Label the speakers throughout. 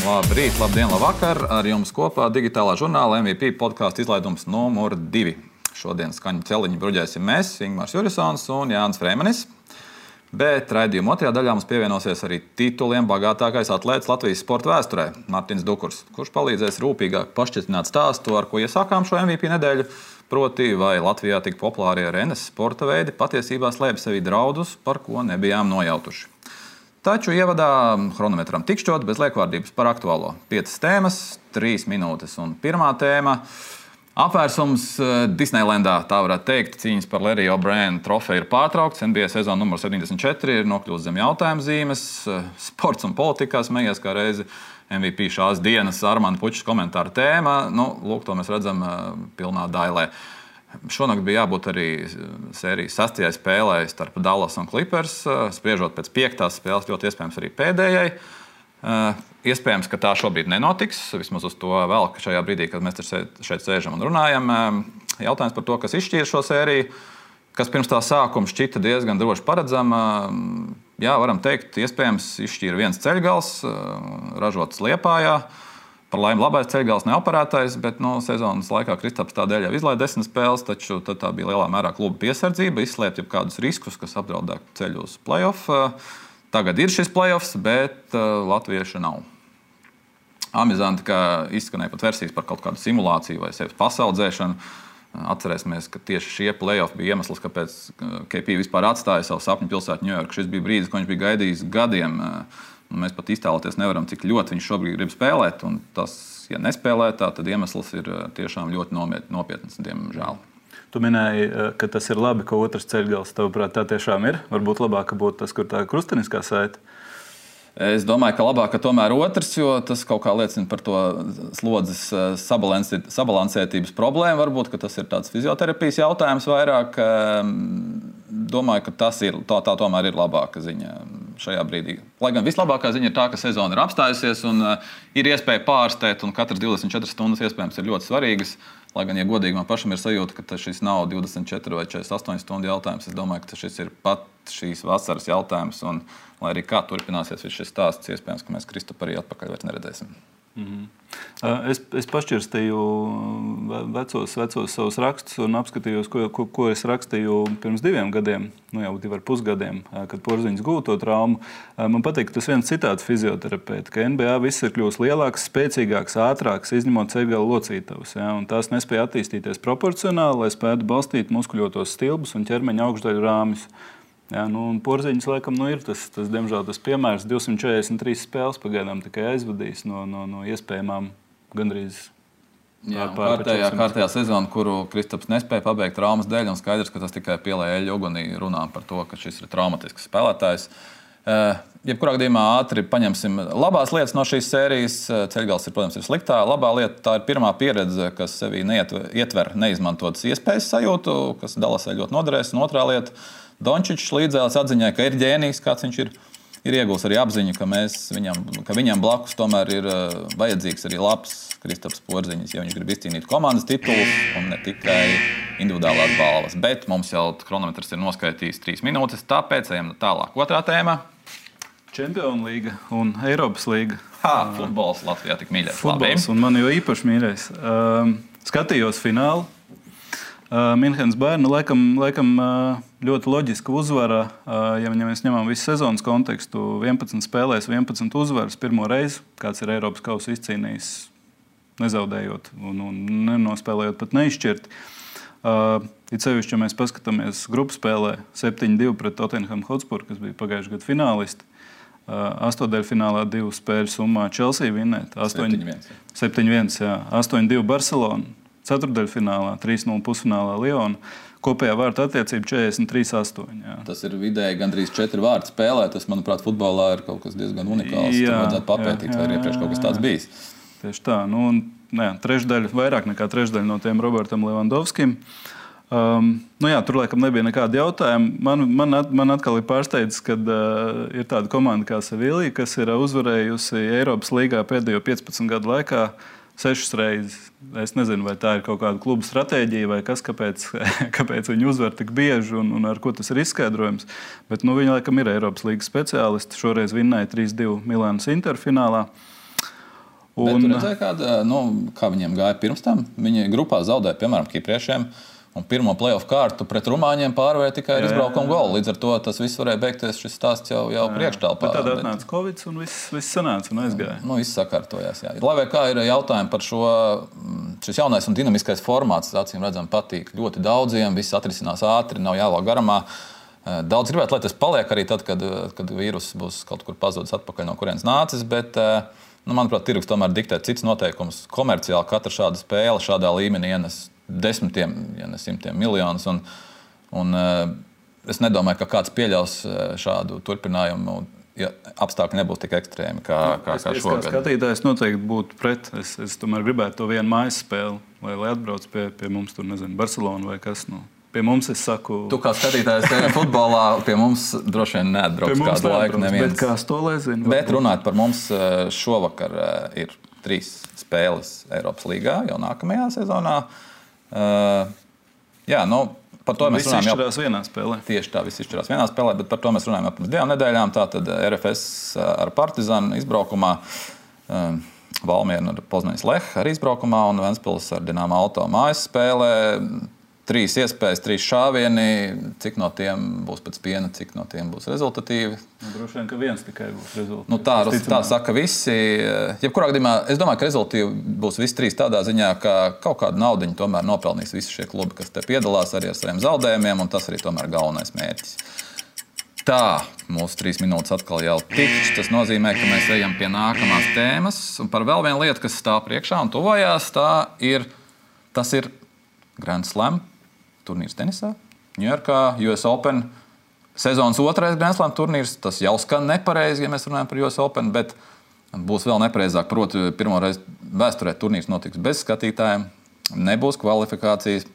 Speaker 1: Labrīt, labdien, labvakar! Ar jums kopā digitālā žurnāla MVP podkāstu izlaidums numur 2. Šodien skaņu celiņu bruģēsim mēs, Ingmārs Jurisons un Jānis Freimanis. Bet raidījuma otrajā daļā mums pievienosies arī tituliem bagātākais atlētis Latvijas sporta vēsturē - Martins Dukurs, kurš palīdzēs rūpīgāk pašķirtināt stāstu, ar ko iesākām šo MVP nedēļu. Proti, vai Latvijā tik populārie arenas sporta veidi patiesībā slēpj sevī draudus, par ko nebijām nojautuši. Taču ievadā chronometram tikšķot bez liekvārdības par aktuālo. 5 tēmas, 3 minūtes un pirmā tēma. Apvērsums Disneylandā, tā varētu teikt, cīņas par Larry O'Brien trofeju ir pārtraukts. NBA sezona numur 74 ir nokļūst zem jautājuma zīmes. Sports un politikā smējies kā reizi MVP šās dienas Armanda Pučas komentāra tēma. Lūk, to mēs redzam pilnā dailē. Šonakt bija jābūt arī sērijas 6. spēlē starp Dallas un Clippers. Spriežot pēc 5. spēles, ļoti iespējams arī pēdējai. Iespējams, ka tā šobrīd nenotiks. Vismaz uz to vēl, ka šajā brīdī, kad mēs šeit sēžam un runājam. Jautājums par to, kas izšķīra šo sēriju, kas pirms tā sākuma šķita diezgan droši paredzama. Jā, varam teikt, iespējams izšķīra viens ceļgals, ražots Liepājā. Par laimi labais ceļgals neoperētais, bet sezonas laikā Kristaps tādēļ jau izlaida 10 spēles, taču tā bija lielā mērā kluba piesardzība, izslēpt jau kādus riskus, kas apdraudētu ceļu uz play-off. Tagad ir šis play-offs, bet latviešu nav. Amizanti, ka izskanēja pat versijas par kaut kādu simulāciju vai sevis pasaudzēšanu. Atcerēsimies, ka tieši šie play-off bija iemesls, kāpēc KP vispār atstāja savu sapņu pilsētu Ņujorku. Šis bija brīdis, ko viņš bija gaidījis gadiem. Mēs pat iztēloties nevaram, cik ļoti viņš šobrīd grib spēlēt. Un tas, ja nespēlē tā, tad iemesls ir tiešām ļoti nopietns, diemžēl.
Speaker 2: Tu minēji, ka tas ir labi, ka otrs ceļgals, tavuprāt, tā tiešām ir. Varbūt labāk, ka būtu tas, kur tā krusteniskā saite.
Speaker 1: Es domāju, ka labāk, ka tomēr otrs, jo tas kaut kā liecina par to slodzes sabalansētības problēmu. Varbūt, ka tas ir tāds fizioterapijas jautājums vairāk. Domāju, ka tas ir, tā tomēr ir labāka ziņa šajā brīdī. Lai gan vislabākā ziņa ir tā, ka sezona ir apstājusies un ir iespēja pārstēt, un katras 24 stundas iespējams ir ļoti svarīgas. Lai gan, ja godīgi man pašam ir sajūta, ka šis nav 24 vai 48 stundu jautājums, es domāju, ka šis ir pat šīs vasaras jautājums. Un, lai arī kā turpināsies šis stāsts, iespējams, ka mēs Kristapu arī atpakaļ vairs neredzēsim.
Speaker 2: Es pašķirstīju vecos savus rakstus un apskatījos, ko es rakstīju pirms 2 gadiem, jau 2,5 gadiem, kad Porziņš gūta to traumu. Man patīk, ka tas viens citāts fizioterapeita, ka NBA viss ir kļūst lielāks, spēcīgāks, ātrāks, izņemot ceļgala locītavas. Ja, un tās nespēja attīstīties proporcionāli, lai spētu balstīt muskuļotos stilbus un ķermeņa augšdaļu rāmjus. Ja, Porziņš laikam ir tas, diemžēl, tas piemērs. 243 spēles pagaidām tikai aizvadījis no iespējamām gandrīz
Speaker 1: kārtējā sezona, kuru Kristaps nespēja pabeigt traumas dēļ, un skaidrs, ka tas tikai pielēja eļļu ugunī runā par to, ka šis ir traumatisks spēlētājs. Jebkurā gadījumā ātri paņemsim labās lietas no šīs sērijas. Ceļgals ir, protams, ir sliktā. Labā lieta tā ir pirmā pieredze, kas sevī ietver neizmantotas iespējas sajūtu, kas Dallasai ļoti noderēs. Un otrā lieta – Dončičs līdzēlis atziņai, ka ir ģēnijs, kāds viņš ir iegūs arī apziņu, ka viņam blakus tomēr ir vajadzīgs arī labs Kristaps Porziņš, ja viņš grib izcīnīt komandas titulus un ne tikai individuālās balvas. Bet mums jau chronometrs ir noskaitījis 3 minūtes, tāpēc ejam tālāk. Otrā tēma
Speaker 2: – Čempionu līga un Eiropas līga.
Speaker 1: Futbols Latvijā tik mīļais.
Speaker 2: Futbols, un man jau īpaši mīļais. Skatījos finālu. Minhenes Bayern, laikam ļoti loģiska uzvara, ja mēs ņemam visu sezonas kontekstu, 11 spēlēs, 11 uzvaras pirmo reizi, kāds ir Eiropas kausa izcīnījis, nezaudējot un nenospēlējot pat neizšķirt. It sevišķi, ja mēs paskatāmies grupu spēlē 7-2 pret Tottenham Hotspur, kas bija pagājušajā gadu finālisti. 8. finālā 2 spēļu summā Chelsea vinnēt. 7-1, jā. 8-2 Barcelona. 4. finālā, 3-0 pusfinālā Liona. Kopējā vārtu attiecība 43-8.
Speaker 1: Tas ir vidēji gandrīz 4 vārtu spēlē. Tas, manuprāt, futbolā ir kaut kas diezgan unikāls. Tur vajadzētu papētīt, vai ir iepriekš kaut kas tāds bijis.
Speaker 2: Tieši tā. Trešdaļa, vairāk nekā trešdaļa no tiem Robertam Levandovskim. Tur laikam nebija nekāda jautājuma. Man atkal ir pārsteidz, kad ir tāda komanda kā Sevilla, kas ir uzvarējusi Eiropas līgā pēdējo 15 gadu laikā 6 reizes. Es nezinu, vai tā ir kaut kāda kluba stratēģija vai kas, kāpēc viņi uzvar tik bieži un ar ko tas ir izskaidrojums. Bet viņi laikam ir Eiropas līgas speciālisti. Šoreiz vinnēja 3-2 Milānas Inter finālā.
Speaker 1: Bet tu redzēji, kā viņiem gāja pirms tam? Viņi grupā zaudēja, piemēram, kipriešiem. Un pirmo play-off kārtu pret rumāņiem pārvēja tikai ar izbraukumu golu. Līdz ar to tas viss varēja beigties, šis stāsts jau priekštālpā.
Speaker 2: Tad atnāca Covid un viss sanāca un aizgāja.
Speaker 1: Viss sakārtojās, jā. Lai vai kā ir jautājumi par šis jaunais un dinamiskais formāts, acīm redzam, patīk ļoti daudziem, viss atrisinās ātri, nav jālāk garumā. Daudz gribētu, lai tas paliek arī tad, kad vīrus būs kaut kur pazudis atpakaļ, no kurienes nācis, bet, manuprāt, tirgus tomēr diktē cits noteikums. Komerciāli katra šāda spēle šādā līmenī ienes desmitiem, ja ne simtiem miljonus. Un es nedomāju, ka kāds pieļaus šādu turpinājumu, ja apstākļi nebūs tik ekstrēmi kā šogad.
Speaker 2: Kā skatītājs noteikti būtu pret. Es tomēr gribētu to vienu mājas spēli, lai atbrauc pie mums tur, nezinu, Barcelona vai kas. Pie mums es saku...
Speaker 1: Tu kā skatītājs futbolā pie mums droši vien neatbrauc kādu laiku neviens.
Speaker 2: Bet kā stolē zinu.
Speaker 1: Bet runāt par mums šovakar ir 3 spēles Eiropas līgā jau nākamajā sezonā. Par to mēs runājam.
Speaker 2: Viss izšķirās vienā spēlē.
Speaker 1: Tieši tā, viss izšķirās vienā spēlē, bet par to mēs runājam pirms 2 nedēļām. Tātad RFS ar Partizanu izbraukumā, Valmiera ar Poznaņas Lech ar izbraukumā un Ventspils ar Dinamo Auto mājas spēlē. 3 iespējas, 3 šāvieni, cik no tiem būs pēc piena, cik no tiem būs rezultatīvi.
Speaker 2: Droši vien, ka viens tikai būs rezultatīvs.
Speaker 1: Tā saka visi. Jebkurā gadījumā es domāju, ka rezultatīvi būs visi 3 tādā ziņā, ka kaut kādu naudiņu tomēr nopelnīs visi šie klubi, kas te piedalās arī ar saviem zaudējumiem, un tas arī tomēr galvenais mērķis. Tā, mūsu 3 minūtes atkal jau tikšķi. Tas nozīmē, ka mēs ejam pie nākamās tēmas. Un par vēl vienu lietu, kas stāv priekšā un tuvojās, tas ir Grand Slam turnīrs tenisā. Ņujorkā, US Open. Sezonas 2. Grand Slam turnīrs. Tas jau skan nepareizi, ja mēs runājam par US Open, bet būs vēl nepareizāk. Proti, pirmo reizi vēsturē turnīrs notiks bez skatītājiem. Nebūs kvalifikācijas.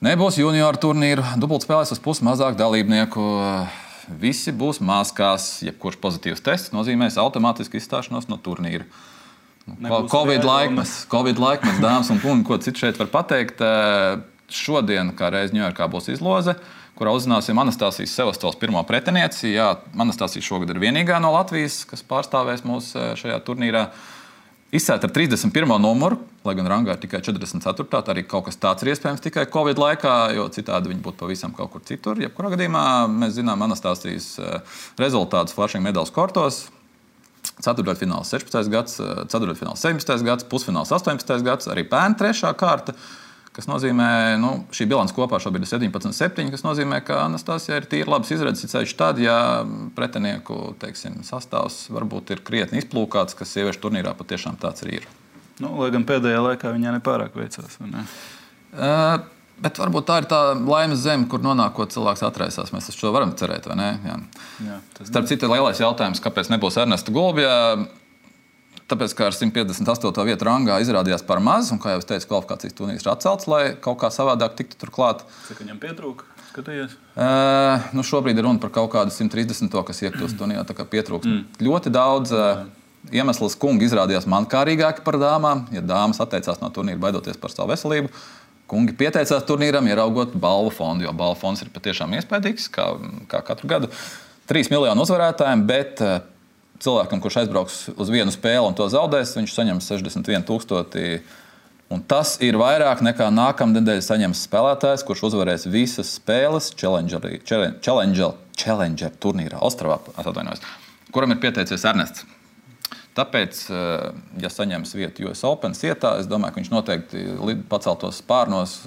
Speaker 1: Nebūs junioru turnīru. Dubultspēlēs uz pusi mazāk dalībnieku. Visi būs maskās. Jebkurš pozitīvs tests nozīmēs automātiski izstāšanos no turnīra. Covid laikmets, dāmas un kungi, ko citu šeit var pateikt. Šodien, kā reiz Ņujorkā, būs izloze, kurā uzzināsim Anastasijas Sevastols pirmo pretinieci. Jā, Anastasija šogad ir vienīgā no Latvijas, kas pārstāvēs mūs šajā turnīrā. Izcēlta ar 31. numuru, lai gan rangā ir tikai 44. Tā arī kaut kas tāds ir iespējams tikai Covid laikā, jo citādi viņi būtu pavisam kaut kur citur. Jebkurā gadījumā mēs zinām Anastasijas rezultātus Flushing Medaļas kortos. Ceturtdaļfināls 16. gads, ceturtdaļfināls 17. gads, pusfināls 18. gads, arī pērn 3. kārta. Kas nozīmē, šī bilance kopā šobrīd ir 17-7, kas nozīmē, ka Anastasijai ir tīri labs izredzes, ceļš tad, ja pretinieku, sastāvs varbūt ir krietni izplūkāts, kas sieviešu turnīrā patiešām tāds arī ir.
Speaker 2: Lai gan pēdējā laikā viņai nepārāk veicās, vai ne?
Speaker 1: Bet varbūt tā ir tā laimes zeme, kur nonākot cilvēks atraisās. Mēs uz šo varam cerēt, vai ne? Jā, starp citu, lielais jautājums, kāpēc nebūs Ernesta Gulbja. Tāpēc, ka ar 158. vietu rangā izrādījās par maz, un, kā jau es teicu, kvalifikācijas turnīrs ir atcelts, lai kaut kā savādāk tiktu turklāt.
Speaker 2: Cik viņam pietrūka? Skatījies?
Speaker 1: Šobrīd ir runa par kaut kādu 130. kas iekļūst turnīrā, tā kā pietrūks. Ļoti daudz iemesls kungi izrādījās mankārīgāki par dāmām. Ja dāmas atteicās no turnīra baidoties par savu veselību, kungi pieteicās turnīram, ieraugot balvu fondu, jo balvu fonds ir patiešām iespaidīgs, kā katru gadu. 3 miljonu uzvarētājiem, bet cilvēkam, kurš aizbrauks uz vienu spēli un to zaudēs, viņš saņems 61,000. Un tas ir vairāk nekā nākamnedēļ saņems spēlētājs, kurš uzvarēs visas spēles Challenger turnīrā Ostravā, kuram ir pieteicies Ernests. Tāpēc, ja saņems vietu US Open sietā, es domāju, ka viņš noteikti paceltos spārnos,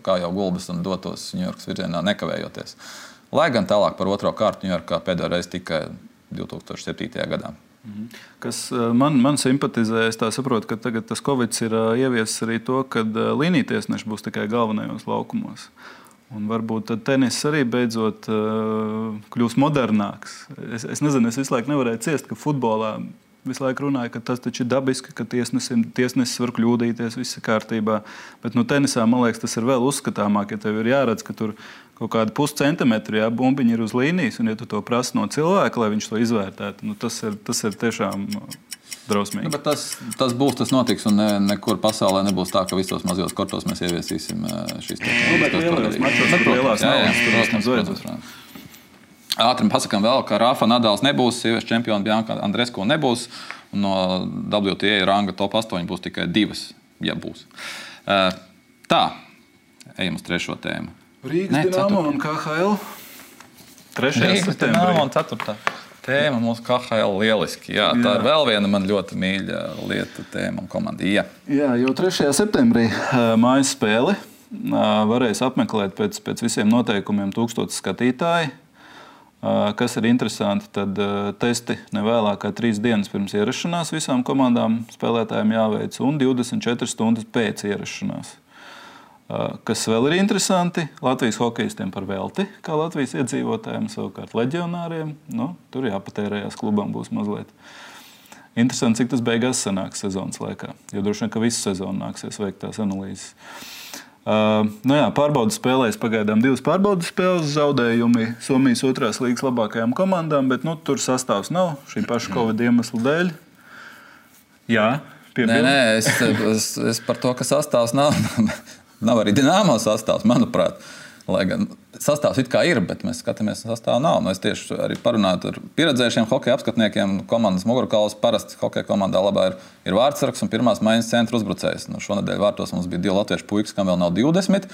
Speaker 1: kā jau Gulbis, un dotos Ņujorkas virzienā nekavējoties. Lai gan tālāk par 2. kārtu Ņujorkā pēdējo reizi tikai 2007. gadā.
Speaker 2: Kas man simpatizē, es tā saprotu, ka tagad tas Covid ir ieviesis arī to, ka līnijtiesneši būs tikai galvenajos laukumos. Un varbūt tad tenis arī beidzot kļūs modernāks. Es nezinu, es visu laiku nevarēju ciest, ka futbolā visu laiku runāja, ka tas taču ir dabiski, ka tiesnesis var kļūdīties, viss ir kārtībā. Bet tenisā, man liekas, tas ir vēl uzskatāmāk, ja tev ir jāredz, ka tur kaut kādi puscentimetri, bumbiņi ir uz līnijas, un ja tu to prasi no cilvēka, lai viņš to izvērtētu, tas ir tiešām drausmīgi.
Speaker 1: Bet tas būs, tas notiks, un nekur pasaulē nebūs tā, ka visos mazajos kortos mēs ieviesīsim šīs tehnoloģijas.
Speaker 2: Bet lielajos mačos, kur lielās naudas, tur vismaz vajadzēs.
Speaker 1: Ātri pasakām vēl, ka Rafa Nadals nebūs, sieviešu čempiona Bianca Andreescu nebūs, un no WTA ranga top 8 būs tikai 2, ja būs. Tā, ejam uz trešo tēmu.
Speaker 2: Rīgas Dinamo un KHL. 3.
Speaker 1: Rīgas
Speaker 2: septembrī.
Speaker 1: Dinamo un 4. tēma mūsu KHL lieliski. Jā, tā ir vēl viena man ļoti mīļa lieta tēma un komanda. Jā,
Speaker 2: jau 3. septembrī mājas spēli varēs apmeklēt pēc visiem noteikumiem 1000 skatītāji. Kas ir interesanti, tad testi nevēlāk kā 3 dienas pirms ierašanās visām komandām spēlētājiem jāveic un 24 stundas pēc ierašanās. Kas vēl ir interesanti, Latvijas hokejistiem par velti, kā Latvijas iedzīvotājiem, savukārt leģionāriem. Tur jāpatērējās klubam būs mazliet. Interesanti, cik tas beigās sanāks sezonas laikā, jo droši vien, ka visu sezonu nāksies veikt tās analīzes. Pārbaudas spēlēs pagaidām 2 pārbaudas spēles, zaudējumi Somijas 2. līgas labākajām komandām, bet tur sastāvs nav šī paša Covid iemeslu dēļ. Jā, piebildu.
Speaker 1: Nē, es par to, ka sastāvs nav. Nav arī Dinamo sastāvs, manuprāt. Lai gan sastāvs it kā ir, bet mēs skatāmies, ka sastāvs nav. Es tieši arī parunāju ar pieredzējušiem hokeja apskatniekiem. Komandas mugurkauls parasti hokeja komandā labā ir vārdsargs un pirmās maiņas centra uzbrucējs. Šonedēļ vārtos mums bija 2 latviešu puikas, kam vēl nav 20.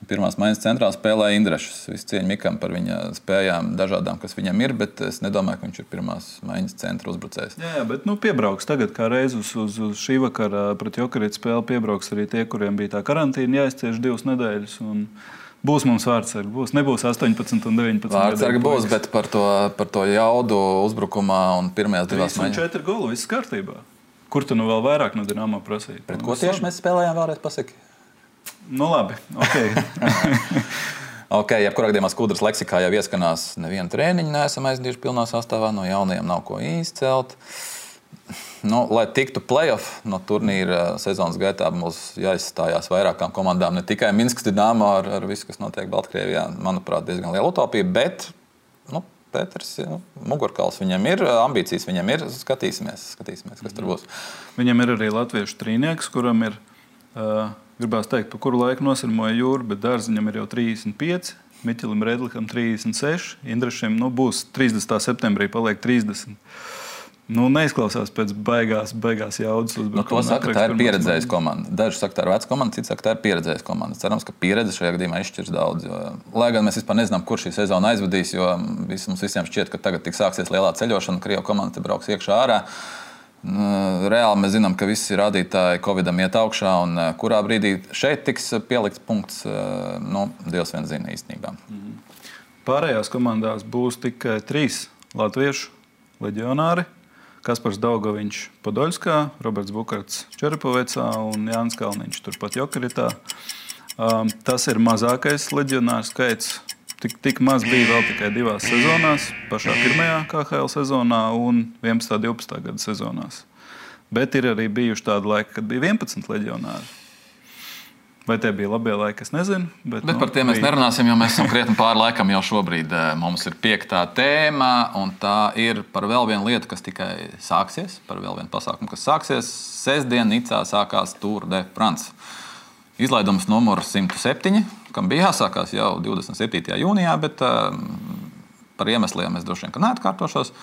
Speaker 1: Pirmās maiņas centrā spēlēja Indrešs. Visu cieņu Mikam par viņa spējām dažādām, kas viņam ir, bet es nedomāju, ka viņš ir pirmās maiņas centra uzbrucējs.
Speaker 2: Jā, bet piebrauks tagad, kā reiz uz šī vakara pret Jokerītu spēli piebrauks arī tie, kuriem bija tā karantīna jāizcieš 2 nedēļas. Būs mums vārdsargi. Nebūs 18 un 19.
Speaker 1: Vārdsargi būs, bet par to jaudu uzbrukumā un pirmajās 2 maiņās.
Speaker 2: 4 golu, viss kārtībā. Kur tu vēl vairāk no Dinamo prasīja?
Speaker 1: Pret ko tieši mēs spēlējām vēlreiz pasaki?
Speaker 2: Labi,
Speaker 1: ok, jebkurā gadījumā Skudras leksikā jau ieskanās nevienu trēniņu, neesam aizdījuši pilnā sastāvā, no jaunajiem nav ko izcelt. Lai tiktu play-off no turnīra sezonas gaitā, mums jāizstājās vairākām komandām, ne tikai Minskas Dinamo ar visu, kas notiek Baltkrievijā, manuprāt, diezgan liela utopija, bet Pēters, mugurkauls viņam ir, ambīcijas viņam ir, skatīsimies, kas tur būs.
Speaker 2: Viņam ir arī latviešu trīnieks, kuram ir, gribās teikt, pa kuru laiku nosirmoja jūru, bet Dārziņam ir jau 35, Miķelim Redlikam 36, Indrešiem būs 30. septembrī, paliek 30. Neizklausās pēc beigās jaudas uzbrukuma.
Speaker 1: To saka, tā ir pieredzējusi komanda. Daži saka, tā ir veca komanda, citi saka, tā ir pieredzējusi komanda. Cerams, ka pieredze šajā gadījumā izšķirs daudz. Lai gan mēs vispār nezinām, kur šī sezona aizvedīs, jo mums visiem šķiet, ka tagad tik sāksies lielā ceļošana, Krievu komanda te brauks iekšā ārā. Reāli mēs zinām, ka visi rādītāji Covidam iet augšā, un kurā brīdī šeit tiks pielikts punkts, Dievs vien zina īstenībā.
Speaker 2: Pārējās komandās būs tikai 3 latviešu leģionāri. Kaspars Daugaviņš Podoļskā, Roberts Bukarts Čerepovecā un Jānis Kalniņš turpat Jokeritā. Tas ir mazākais leģionāru skaits. Tik maz bija vēl tikai 2 sezonās, pašā pirmajā KHL sezonā un 11. 12. gada sezonās. Bet ir arī bijuši tādi laiki, kad bija 11 leģionāri. Vai tie bija labie laiki, es nezinu. Bet
Speaker 1: par tiem mēs nerunāsim, jo mēs esam krietni pāri laikam jau šobrīd. Mums ir 5. tēma, un tā ir par vēl vienu lietu, kas tikai sāksies, par vēl vienu pasākumu, kas sāksies. Sestdien Nicā sākās Tour de France. Izlaidums numurs 107, kam bija jāsākās jau 27. jūnijā, bet par iemesliem es droši vien neatkārtošos.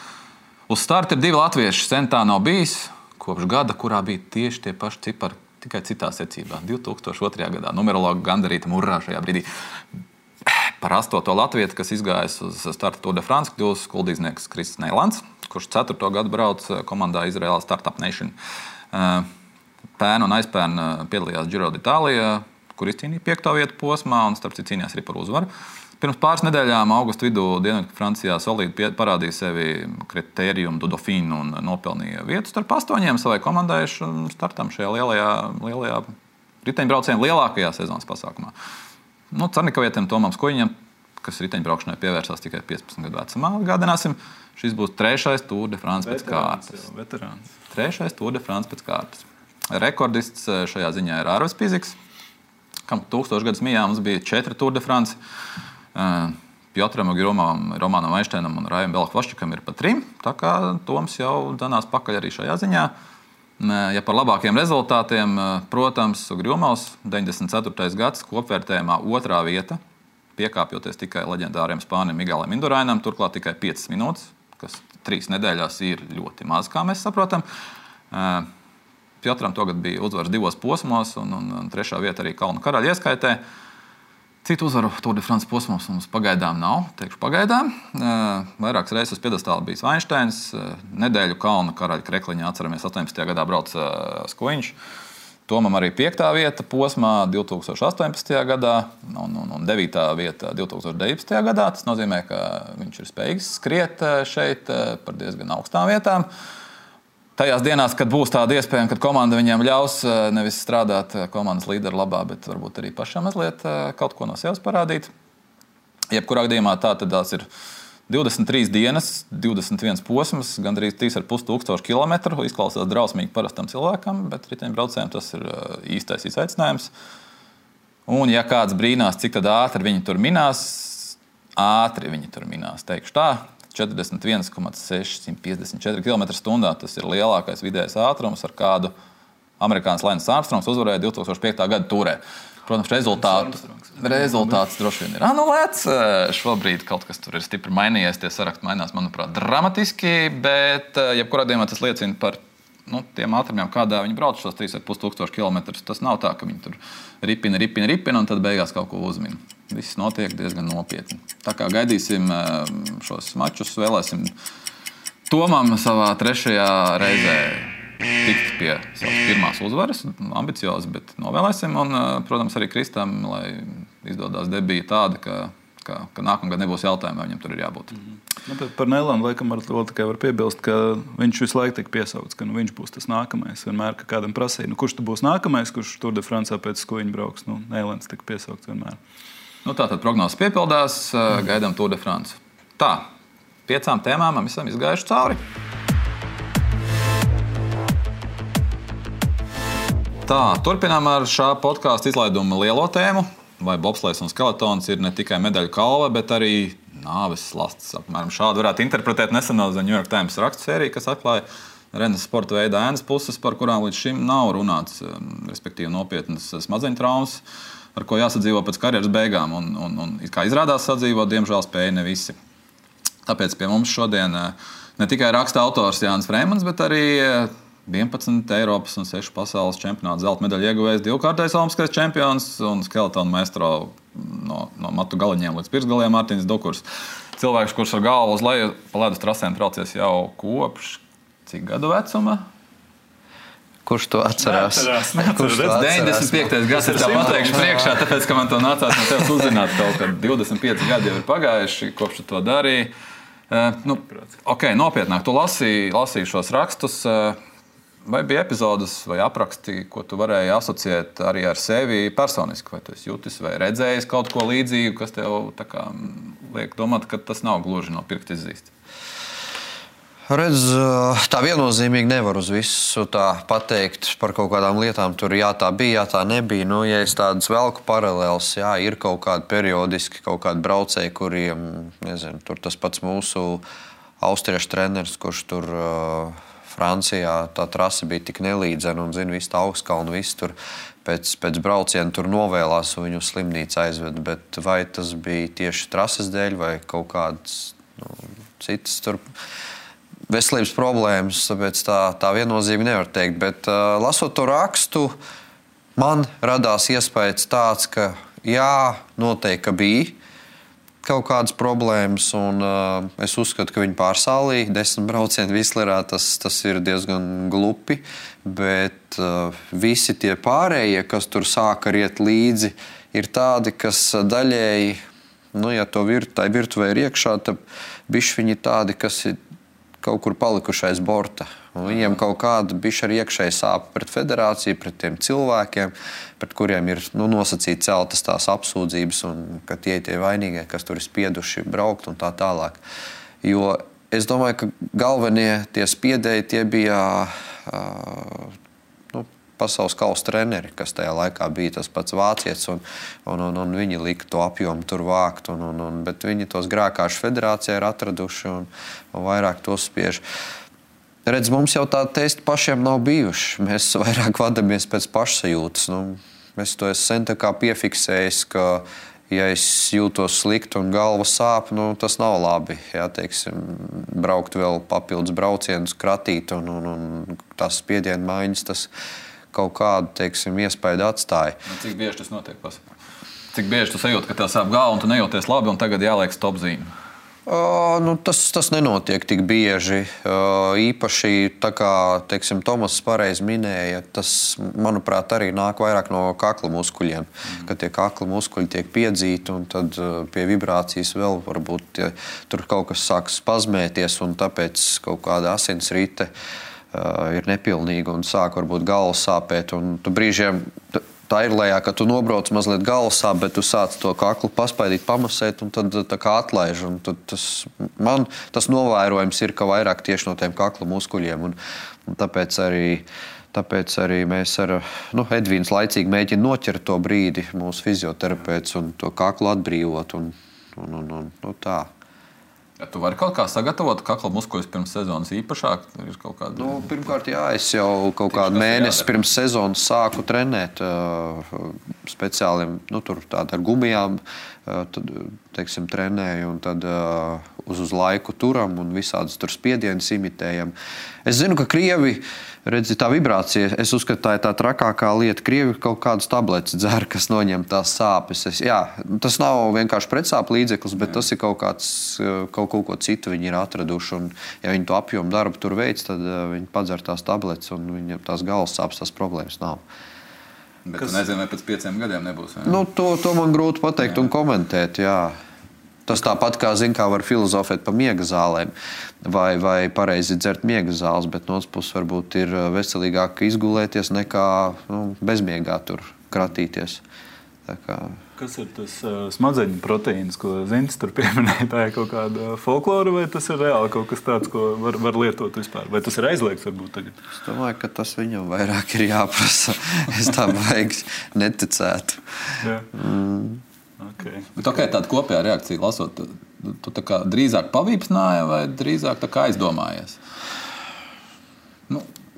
Speaker 1: Uz starta ir 2 latvieši, sen tā nav bijis, kopš gada, kurā bija tieši tie paši cipari. Tikai citā secībā, 2002. gadā. Numerologi gandarīti murrā šajā brīdī. Par 8. latvietu, kas izgājis uz starta Tour de France, kļūs skuldīznieks Krists Neilands, kurš 4. gadu brauc komandā Izraēlā Startup Nation. Pērn un aizpērn piedalījās Giro d'Italia, kur izcīnīja 5. vietu posmā un starp citu cīnījās arī par uzvaru. Pirms pāris nedēļām augusta vidū Dienvidu Francijā solīdi parādīja sevi Critérium du Dauphin un nopelnīja vietu starp 8 savai komandai startam šajā lielajā riteņbrauciena lielākajā sezonas pasākumā. Carnikavietim Tomam Skujiņam, kas riteņbraukšanai pievērsās tikai 15 gadu vecumā, atgādināsim, šis būs 3. Tour de France pēc kārtas. 3. Tour de France pēc kārtas. Rekordists šajā ziņā ir Arvis Piziks, kam 1000 gadus mijā mums bija 4 Tour de France. Piotram Ogirumam, Romanam Einšteinam un Rajam Belhvaščikam ir pa 3. Tā kā Toms jau danās pakaļ arī šajā ziņā. Ja par labākiem rezultātiem, protams, Ogirumavs 94. gads kopvērtējumā 2. vieta. piekāpjoties tikai leģendāriem spānim Miguelam Indurainam, turklāt tikai 5 minūtes, kas 3 nedēļās ir ļoti maz, kā mēs saprotam. Piotram tagad bija uzvaras 2 posmos, un 3. vieta arī Kalnu karaļa ieskaitē. Citu uzvaru Tour de France posmos mums pagaidām nav, teikšu pagaidām. Vairākas reizes uz piedestāla bijis Vainšteins, nedēļu Kalnu karaļa krekliņā atceramies 18. gadā brauc Skuiņš. Tomam arī 5. vieta posmā 2018. gadā un 9. vieta 2019. gadā. Tas nozīmē, ka viņš ir spējīgs skriet šeit par diezgan augstām vietām. Tajās dienās, kad būs tāda iespēja, kad komanda viņiem ļaus nevis strādāt komandas līderu labā, bet varbūt arī pašam mazliet kaut ko no sevis parādīt. Jebkurā gadījumā tās ir 23 dienas, 21 posms, gandrīz 3,5 kilometru. Izklausās drausmīgi parastam cilvēkam, bet riteņbraucējiem tas ir īstais izaicinājums. Un ja kāds brīnās, cik tad ātri viņi tur minās, teikšu tā. 41,654 km/h. Tas ir lielākais vidējais ātrums, ar kādu amerikānis Lance Armstrongs uzvarēja 2005. gada turē. Protams, rezultāts droši vien ir anulēts. Šobrīd kaut kas tur ir stipri mainījies. Tie saraksti mainās, manuprāt, dramatiski, bet jebkurā gadījumā tas liecina par tiem ātrumiem, kādā viņi brauc šos 3,5 km. Tas nav tā, ka viņi tur ripina un tad beigās kaut ko uzmina. Viss notiek diezgan nopietni. Tā kā gaidīsim šos mačus, vēlēsim Tomam savā 3. reizē tikt pie savas pirmās uzvaras. Ambiciozi, bet novēlēsim. Un, protams, arī Kristam, lai izdodās debija tāda, ka nākamgad nebūs jautājumu, vai viņam tur ir jābūt.
Speaker 2: Par Nēlanu laikam vēl tikai var piebilst, ka viņš visu laiku tiek piesaukts, ka viņš būs tas nākamais. Vienmēr, ka kādam prasīja, kurš tu būs nākamais, kurš Tour de France pēc Skuiņa brauks. Nēlans tiek piesaukts vienmēr. Tātad prognozes piepildās, gaidām Tour de France. Tā, 5 tēmām esam izgājuši cauri. Tā, turpinām ar šā podkāstu izlaidumu lielo tēmu. Vai bobslejs un skeletons ir ne tikai medaļu kalve, bet arī nāves slasts. Apmēram šādi varētu interpretēt neseno New York Times rakstu sēriju, kas atklāja Rennes sporta veida ēnas puses, par kurām līdz šim nav runāts, respektīvi nopietnas smadzeņu traumas, ar ko jāsadzīvo pēc karjeras beigām. Un kā izrādās sadzīvot, diemžēl spēja ne visi. Tāpēc pie mums šodien ne tikai raksta autors Jānis Freimans, bet arī 11 Eiropas un 6 pasaules čempionāta zelta medaļu ieguvējs, 2-kārtais olimpiskais čempions un skeletonu maestro no matu galiņiem līdz pirksgaliem Mārtiņš Dukurs. Cilvēks, kurš ar galvu uz leju pa ledus trasēm traucies jau kopš cik gadu vecuma?
Speaker 3: Kurš to atcerās?
Speaker 1: 95. gads ir tā pateikšu priekšā, tāpēc, ka man to nācās no tevis uzzināt kaut kad 25 gadi jau ir pagājuši, kopš tu to darīji. Nopietnāk, tu lasīji šos rakstus. Vai bija epizodes vai apraksti, ko tu varēji asociēt arī ar sevi personiski? Vai tu esi jutis vai redzējis kaut ko līdzīgu, kas tev liek domāt, ka tas nav gluži no pirksta izzīst?
Speaker 3: Redz, tā viennozīmīgi nevar uz visu tā pateikt par kaut kādām lietām. Tur jā, tā bija, jā, tā nebija. Ja es tādas velku paralēlas, jā, ir kaut kādi periodiski kaut kādi braucēji, kuriem, nezinu, tur tas pats mūsu austriešu treneris, kurš tur Francijā tā trase bija tik nelīdzena un, visu tā augstkalnu, visu tur pēc brauciena tur novēlās un viņu slimnīcu aizved. Bet vai tas bija tieši trases dēļ vai kaut kādas citas tur veselības problēmas, tāpēc tā viennozīmīgi nevar teikt. Bet lasot to rakstu, man radās iespējas tāds, ka jā, noteikti, ka bija kaut kādas problēmas, un es uzskatu, ka viņi pārsālīja 10 braucienu Vislerā, tas ir diezgan glupi, bet visi tie pārējie, kas tur sāka riet līdzi, ir tādi, kas daļēji, ja to tai virtuvē ir iekšā, tad bišķi viņi tādi, kas ir kaut kur palikuši aiz borta. Un viņiem kaut kāda bišķi arī iekšēji sāpa pret federāciju, pret tiem cilvēkiem, pret kuriem ir nosacīti celtas tās apsūdzības, un ka tie vainīgie, kas tur ir spieduši braukt un tā tālāk. Jo es domāju, ka galvenie tie spiedēji, tie bija pasaules kausa treneri, kas tajā laikā bija tas pats vācietis, un viņi lika to apjomu tur vākt, bet viņi tos grēkāšu federācijā ir atraduši un vairāk tos spiež. Redz, mums jau tādi testi pašiem nav bijuši. Mēs vairāk vadamies pēc pašsajūtas. Es to esmu sen tā kā piefiksējis, ka ja es jūtos slikti un galva sāp, tas nav labi. Jā, teiksim, braukt vēl papildus braucienus, kratīt un tās spiedienu maiņas, tas kaut kādu, teiksim, iespaidu atstāja.
Speaker 1: Cik bieži tas notiek? Cik bieži tu sajūti, ka tev sāp galva un tu nejūties labi un tagad jāliek stop zīme?
Speaker 3: Tas nenotiek tik bieži. Īpaši, tā kā teiksim, Tomas pareizi minēja, tas, manuprāt, arī nāk vairāk no kakla muskuļiem. Kad tie kakla muskuļi tiek piedzīti, un tad pie vibrācijas vēl varbūt tur kaut kas sāk spazmēties, un tāpēc kaut kāda asinsrite ir nepilnīga un sāk varbūt galva sāpēt. Un tu brīžiem tā ir lejā, ka tu nobrauc mazliet galva sāp, bet tu sāc to kaklu paspaidīt, pamasēt, un tad tā kā atlaiž. Un tad tas novērojums ir, ka vairāk tieši no tiem kakla muskuļiem. Un tāpēc arī mēs ar Edvīns laicīgi mēģina noķert to brīdi, mūsu fizioterapeits, un to kaklu atbrīvot. Un tā.
Speaker 1: Ja tu vari kaut kā sagatavot kakla muskuļus pirms sezonas īpašāk? Ir kaut kāda...
Speaker 3: Pirmkārt, jā, es jau kaut kādu mēnesi pirms sezonas sāku trenēt speciāliem, tur tādu ar gumijām, tad, teiksim, trenēju, un tad uz laiku turam un visādas tur spiedienas imitējam. Es zinu, ka Krievi, redzi, tā vibrācija, es uzskatu, tā ir tā trakākā lieta. Krievi kaut kādas tabletes dzer, kas noņem tās sāpes. Tas nav vienkārši pretsāpu līdzeklis, bet tas ir kaut ko citu viņi ir atraduši. Un, ja viņi to apjomu darbu tur veic, tad viņi padzer tās tabletes un viņam tās galvas sāpes, tās problēmas nav.
Speaker 1: Bet tu nezini, vai pēc 5 gadiem nebūs?
Speaker 3: To man grūti pateikt un komentēt, jā. Tas tāpat kā var filozofēt par miega zālēm vai pareizi dzert miega zāles, bet no otras puses varbūt ir veselīgāk izgulēties nekā bezmiegā tur kratīties. Tā kā...
Speaker 2: Kas ir tas smadzeņu proteīns, ko Zintis tur pieminēja? Tā ir kaut kāda folklora vai tas ir reāli kaut kas tāds, ko var lietot vispār? Vai tas ir aizliegts varbūt tagad?
Speaker 3: Es domāju, ka tas viņam vairāk ir jāprasa. Es tā vajag neticētu.
Speaker 2: Jā. Okay.
Speaker 1: Bet tāda kopējā reakcija lasot, tu tā kā drīzāk pavīpsnāja vai drīzāk tā kā aizdomājies?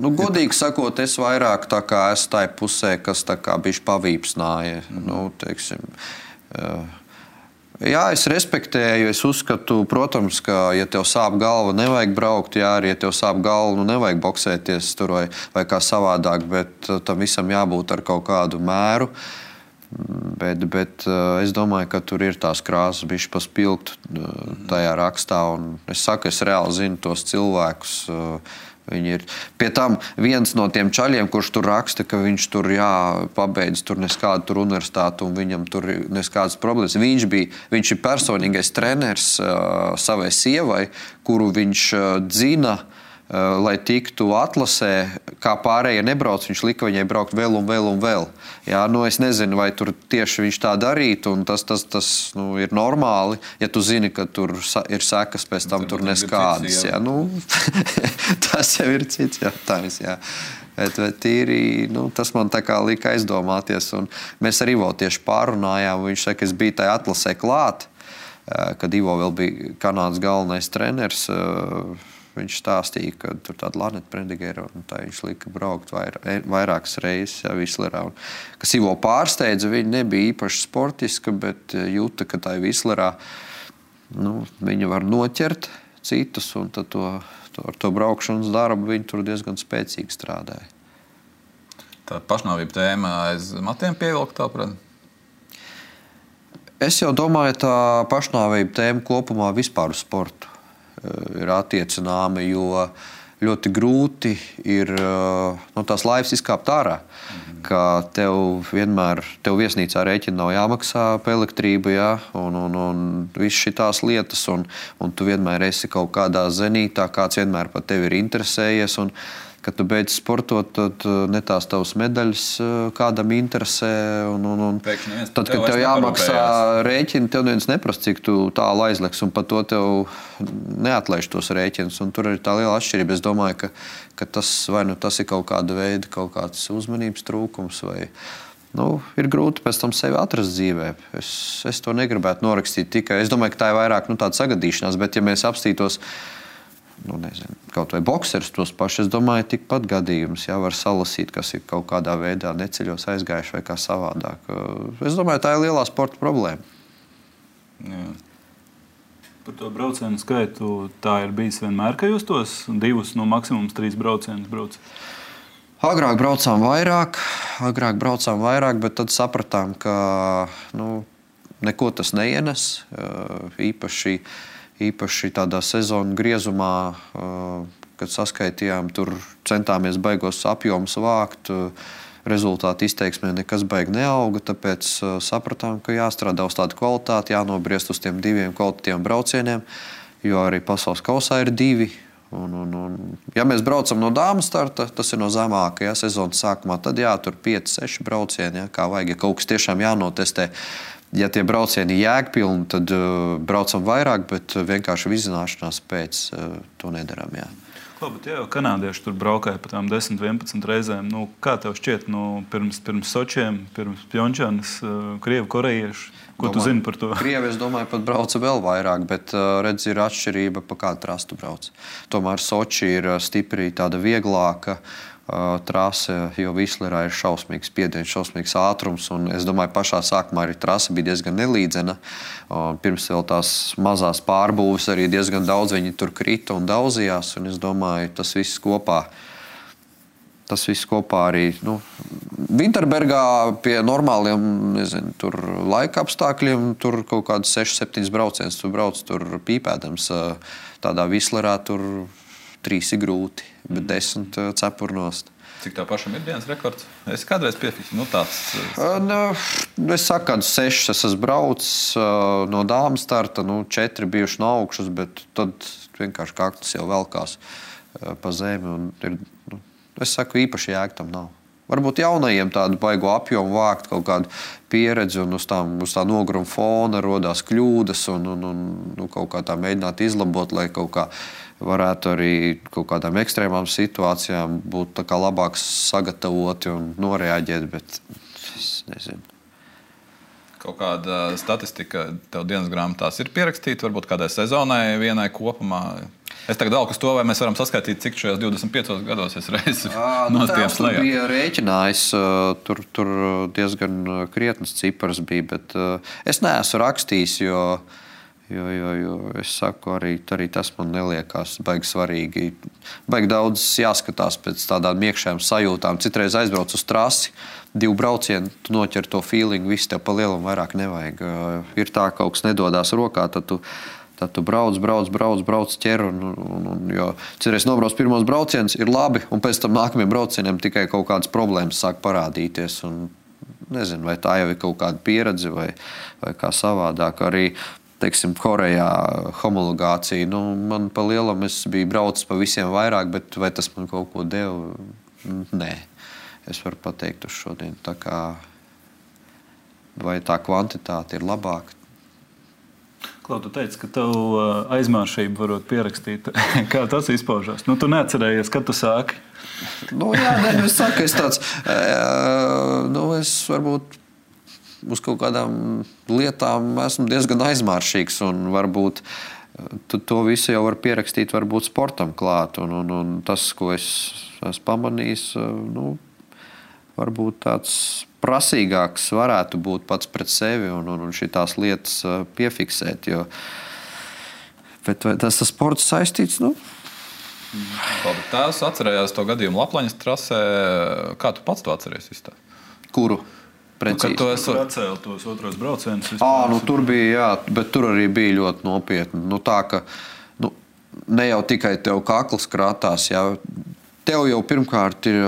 Speaker 3: Godīgi sakot, es vairāk tā kā esmu tai pusē, kas tā kā bišķi pavīpsnāja. Teiksim, jā, es respektēju, es uzskatu, protams, ka, ja tev sāp galva, nevajag braukt, jā, arī, ja tev sāp galva, nevajag boksēties tur vai kā savādāk, bet tam visam jābūt ar kaut kādu mēru. Bet es domāju, ka tur ir tās krāsas bišķi paspilgt tajā rakstā, un es saku, es reāli zinu tos cilvēkus. Viņi ir. Pie tam viens no tiem čaļiem, kurš tur raksta, ka viņš tur pabeidz tur neskādu tur universitātu un viņam tur neskādas problēmas. Viņš ir personīgais treneris savai sievai, kuru viņš dzina, lai tiktu atlasē, kā pārējie nebrauc, viņš lika viņai braukt vēl un vēl un vēl. Jā, es nezinu, vai tur tieši viņš tā darītu, un tas ir normāli, ja tu zini, ka tur ir sekas pēc tam tur neskādas. Jā, tas jau ir cits jautājums, jā. Bet tīri, tas man tā kā lika aizdomāties, un mēs ar Ivo tieši pārunājām, viņš saka, es biju tajā atlasē klāt, kad Ivo vēl bija Kanādas galvenais treneris. Viņš stāstīja, ka tur tāda Laneta Prendigera, un tā viņš lika braukt vairākas reizes Vislerā. Kas Ivo pārsteidza, viņa nebija īpaši sportiska, bet jūta, ka tā Vislerā viņa var noķert citus, un tad ar to braukšanas darbu viņa tur diezgan spēcīgi strādāja.
Speaker 1: Tā pašnāvība tēma aiz matiem pievilkt, tāprāt?
Speaker 3: Es jau domāju, tā pašnāvība tēma kopumā vispār uz sportu ir attiecināma, jo ļoti grūti ir no tās laivas izkāpt ārā, ka tev viesnīcā rēķina nav jāmaksā par elektrību, jā, un viss šitās lietas, un tu vienmēr esi kaut kādā zenītā, kāds vienmēr par tevi ir interesējies, un kad tu beidz sportot, tad ne tās tavas medaļas kādam interesē. Tad, kad tev jāmaksā rēķini, tev neviens neprasa, cik tu tālu aizliks, un par to tev neatlaiž tos rēķinus. Un tur ir tā liela atšķirība. Es domāju, ka tas ir kaut kāda veida, kaut kāds uzmanības trūkums vai... ir grūti pēc tam sevi atrast dzīvē. Es to negribētu norakstīt tikai. Es domāju, ka tā ir vairāk tāda sagadīšanās, bet ja mēs apstītos kaut vai boksers tos paši, es domāju, tikpat gadījums, var salasīt, kas ir kaut kādā veidā neceļos aizgājuši vai kā savādāk. Es domāju, tā ir lielā sporta problēma.
Speaker 2: Jā. Par to braucienu skaitu tā ir bijis vienmēr, ka jūs tos 2, no maksimums 3 braucienus braucat?
Speaker 3: Agrāk braucām vairāk, bet tad sapratām, ka neko tas neienes. Īpaši tādā sezonu griezumā, kad saskaitījām, tur centāmies baigos apjomus vākt. Rezultāti izteiksmē nekas baigi neauga, tāpēc sapratām, ka jāstrādā uz tādu kvalitāti, jānobriest uz tiem 2 kvalitatīviem braucieniem, jo arī pasaules kausā ir 2. Ja mēs braucam no dāmas starta, tas ir no zemākajā sezonas sākumā, tad tur 5-6 braucieni, kā vajag, ja kaut kas tiešām jānotestē. Ja tie braucieni jēgpilni, tad braucam vairāk, bet vienkārši vizināšanās pēc to nedaram, jā.
Speaker 2: Bet jau kanādieši tur braukāja pa tām 10-11 reizēm. Kā tev šķiet, pirms Sočiem, pirms Pjončanas, krievi, korejieši? Ko tu zini par to?
Speaker 3: Krievi, es domāju, pat brauca vēl vairāk, bet redz, ir atšķirība, pa kādu trastu brauc. Tomēr Soči ir stipri tāda vieglāka trase, jo Vislerā ir šausmīgs spiediens, šausmīgs ātrums, un es domāju, pašā sākumā arī trase bija diezgan nelīdzena. Pirms vēl tās mazās pārbūves arī diezgan daudz viņi tur krita un daudzījās, un es domāju, tas viss kopā arī, Vinterbergā pie normāliem, tur laika apstākļiem, tur kaut kādas 6-7 brauciens, tu brauc tur pīpēdams, tādā Vislerā tur 3 ir grūti, bet 10 cepurnost.
Speaker 1: Cik tā pašam ir dienas rekords? Es kādreiz piefiksu, tāds...
Speaker 3: Es saku, kādu 6 es esmu braucis no dāmas starta, 4 bijuši no augšas, bet tad vienkārši kaktus jau velkās pa zemi. Un es saku, īpaši jēga tam nav. Varbūt jaunajiem tādu baigo apjomu vākt, kaut kādu pieredzi un uz tā nogruma fona rodās kļūdas un kaut kā tā mēģināt izlabot, lai kaut kā varētu arī kaut kādām ekstrēmām situācijām būt tā kā labāk sagatavoti un noreaģēt, bet es nezinu.
Speaker 1: Kaut kāda statistika tev dienas grāmatās ir pierakstīta, varbūt kādai sezonai, vienai kopumā? Es tagad dalku uz to, vai mēs varam saskaitīt, cik šajos 25 gados es reizi nostījums lejā.
Speaker 3: Tur bija rēķinājis, tur diezgan krietnas cipars bija, bet es neesmu rakstījis, jo es saku, arī tas man neliekās baigi svarīgi. Baigi daudz jāskatās pēc tādām iekšējām sajūtām. Citreiz aizbrauc uz trasi, 2 braucieni, tu noķer to feeling, viss tev pa lielam vairāk nevajag. Ir tā, kaut kas nedodās rokā, tad tu brauc, ķer, jo citreiz nobrauc pirmos braucienus, ir labi, un pēc tam nākamajiem braucieniem tikai kaut kādas problēmas sāk parādīties. Un nezinu, vai tā jau ir kaut kāda pieredze vai kā savādāk. Arī, teiksim, Korejā homologācija, man pa lielam es biju braucis pa visiem vairāk, bet vai tas man kaut ko deva? Nē. Es varu pateikt uz šodien. Tā kā, vai tā kvantitāte ir labāka?
Speaker 2: Klau, tu teici, ka tev aizmāršību varot pierakstīt. Kā tas izpaužās? Tu neatcerējies, kad tu sāki?
Speaker 3: Es saku, es tāds, es varbūt uz kaut kādām lietām esmu diezgan aizmāršīgs, un varbūt to visu jau var pierakstīt varbūt sportam klāt, un tas, ko es esmu pamanījis, varbūt tāds prasīgāks varētu būt pats pret sevi un šitās lietas piefiksēt, bet vai tas sports saistīts,
Speaker 1: Tās atcerējās to gadījumu Laplaņas trasē. Kā tu pats to atceries?
Speaker 3: Kuru?
Speaker 2: Precīzi. Tu atcēli tos otros braucienus.
Speaker 3: Tur bija, jā, bet tur arī bija ļoti nopietni. Tā, ka ne jau tikai tev kakls krātās, jā. Tev jau pirmkārt ir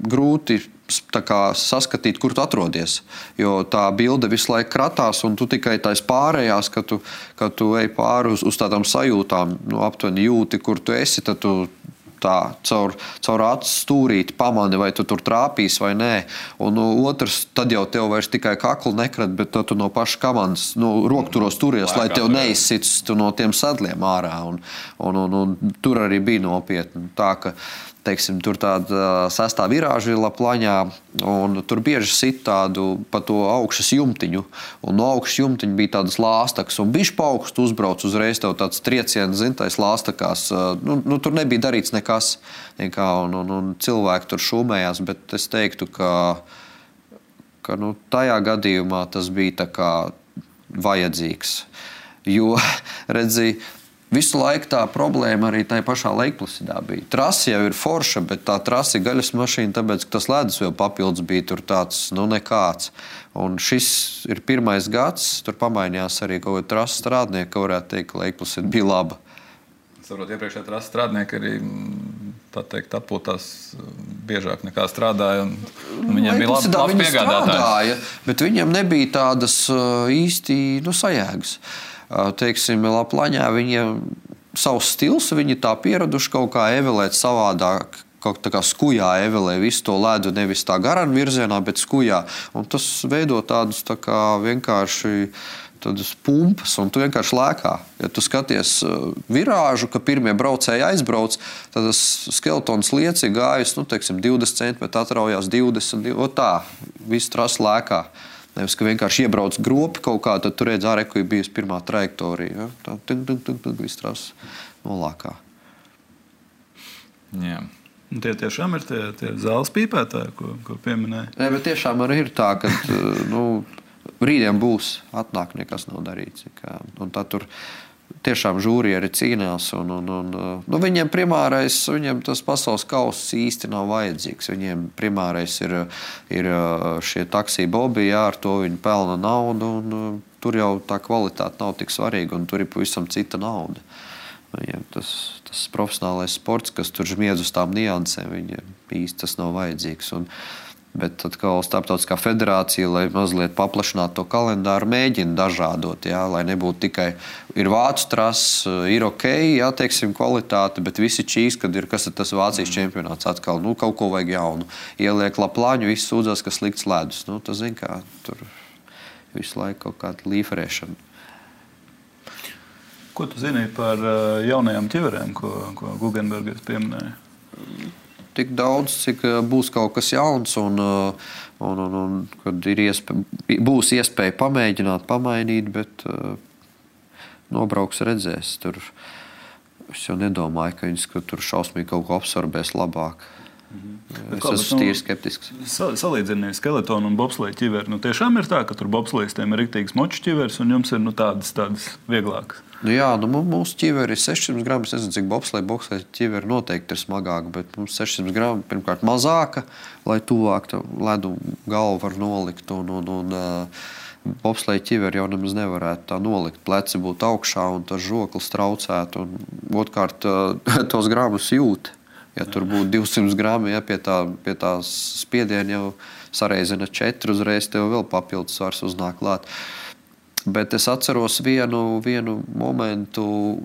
Speaker 3: grūti saskatīt, kur tu atrodies. Jo tā bilde visu laiku kratās, un tu tikai tais pārējās, ka tu ej pāri uz tādām sajūtām, aptuveni jūti, kur tu esi, tad tu tā caur acu stūrīti pamani, vai tu tur trāpīs vai nē. Un otrs, tad jau tev vairs tikai kaklu nekrat, bet tu no paša komandas rokturos turies, lai tev neizsits no tiem sadliem ārā. Un tur arī bija nopietni. Tā, ka teiksim, tur tāda sestā virāža ir Laplaņā, un tur bieži sit tādu pa to augšas jumtiņu, un no augšas jumtiņa bija tādas lāstakas, un bišķi pa augstu uzbrauc uzreiz tev tāds trieciens, tais lāstakās. Tur nebija darīts nekas, un cilvēki tur šūmējās, bet es teiktu, ka tajā gadījumā tas bija tā kā vajadzīgs. Jo, redzi, visu laiku tā problēma arī tajā pašā Leikplasidā bija. Trasa jau ir forša, bet tā trasa ir gaļas mašīna, tāpēc, ka tas ledus vēl papildus bija tur tāds, nekāds. Un šis ir pirmais gads, tur pamainījās arī kaut kāda trasa strādnieka, ka varētu teikt, ka Leikplasida bija laba.
Speaker 1: Saprot, iepriekšējā trasa strādnieki arī, tā teikt, atpūtās biežāk nekā strādāja, un viņiem bija labs piegādātājs.
Speaker 3: Bet viņiem nebija tādas īsti sajēgas. Teiksim, Laplaņā viņiem savs stils, viņi tā pieraduši kaut kā evelēt savādāk, kaut tā kā skujā evelē visu to ledu, nevis tā garan virzienā, bet skujā. Un tas veido tādus tā kā vienkārši tādas pumpas, un tu vienkārši lēkā. Ja tu skaties virāžu, ka pirmie braucēji aizbrauc, tad tas skeletons lieci gājus, 20 centimetri atraujās 20, tā, visu trasu lēkā. Nevis, ka vienkārši iebrauc gropi kaut kā, tad tu redz ārē, ka ir bijusi pirmā trajektorija. Ja? Tā viss tās nolākā.
Speaker 1: Jā.
Speaker 2: Tie tiešām ir tie zāles pīpētāji, ko pieminēja.
Speaker 3: Nē, bet tiešām arī ir tā, ka rītdien būs, atnāk, nekas nav darīts. Un tā tur tiešām žūrieri cīnās. Viņiem primārais, viņiem tas pasaules kauss īsti nav vajadzīgs. Viņiem primārais ir šie taksī bobi, ar to viņi pelna naudu, un tur jau tā kvalitāte nav tik svarīga, un tur ir pavisam cita nauda. Viņiem tas profesionālais sports, kas tur žmiedz uz tām niansēm, viņiem īsti tas nav vajadzīgs. Bet tad, kā Starptautiskā federācija, lai mazliet paplašinātu to kalendāru, mēģina dažādot, lai nebūtu tikai ir vācu trases, ir ok, teiksim, kvalitāte, bet visi čīs, kad ir, kas ir tas Vācijas čempionāts atkal, kaut ko vajag jaunu. Ieliek Laplāņu, visi sūdzās, ka slikts ledus. Tas zin kā, tur visu laiku kaut kāda līferēšana.
Speaker 2: Ko tu zini par jaunajām ķiverēm, ko Guggenbergers pieminēja?
Speaker 3: Tik daudz, cik būs kaut kas jauns un kad būs iespēja pamēģināt, pamainīt, bet nobrauks redzēs. Tur, es jau nedomāju, ka viņas tur šausmīgi kaut ko absorbēs labāk. Es esmu tīri skeptisks.
Speaker 2: Salīdzinies skeletonu un bobsleja ķiveri. Tiešām ir tā, ka tur bobslejistiem ir riktīgs moču ķiveris un jums ir tādas vieglākas.
Speaker 3: Mūsu ķiveri ir 600 gramu. Es nezinu, cik bobsleja ķiveri noteikti ir smagāka, bet mums 600 gramu pirmkārt mazāka, lai tuvāk ledu galvu var nolikt. Bobsleja ķiveri jau nemaz nevarētu tā nolikt. Pleci būtu augšā un tas žoklis traucētu. Un otrkārt tos gramus jūt. Ja tur būtu 200 grami, pie tās spiediena jau sareizina 4, uzreiz tev vēl papildus svars uznāk klāt. Bet es atceros vienu momentu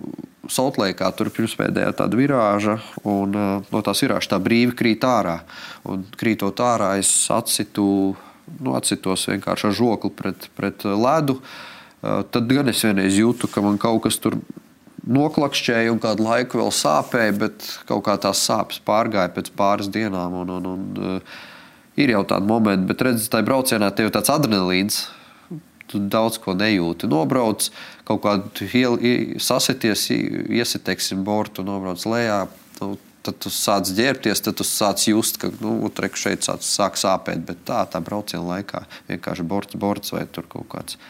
Speaker 3: Soltleikā, tur pirmspēdējā tāda virāža, un no tās virāžas tā brīvi krīt ārā. Un krītot ārā, es atsitos vienkārši ar žokli pret ledu. Tad gan es vienreiz jūtu, ka man kaut kas tur noklakšķēja un kādu laiku vēl sāpēja, bet kaut kā tās sāpes pārgāja pēc pāris dienām. Ir jau tādi momenti, bet redz, tajā braucienā tev tāds adrenalīns, tu daudz ko nejūti. Nobrauc, kaut kādu sasities, iesiteiksim bortu, nobrauc lejā, tad tu sāc ģērbties, tad tu sāc just, ka šeit sāk sāpēt, bet tā brauciena laikā vienkārši borts vai tur kaut kāds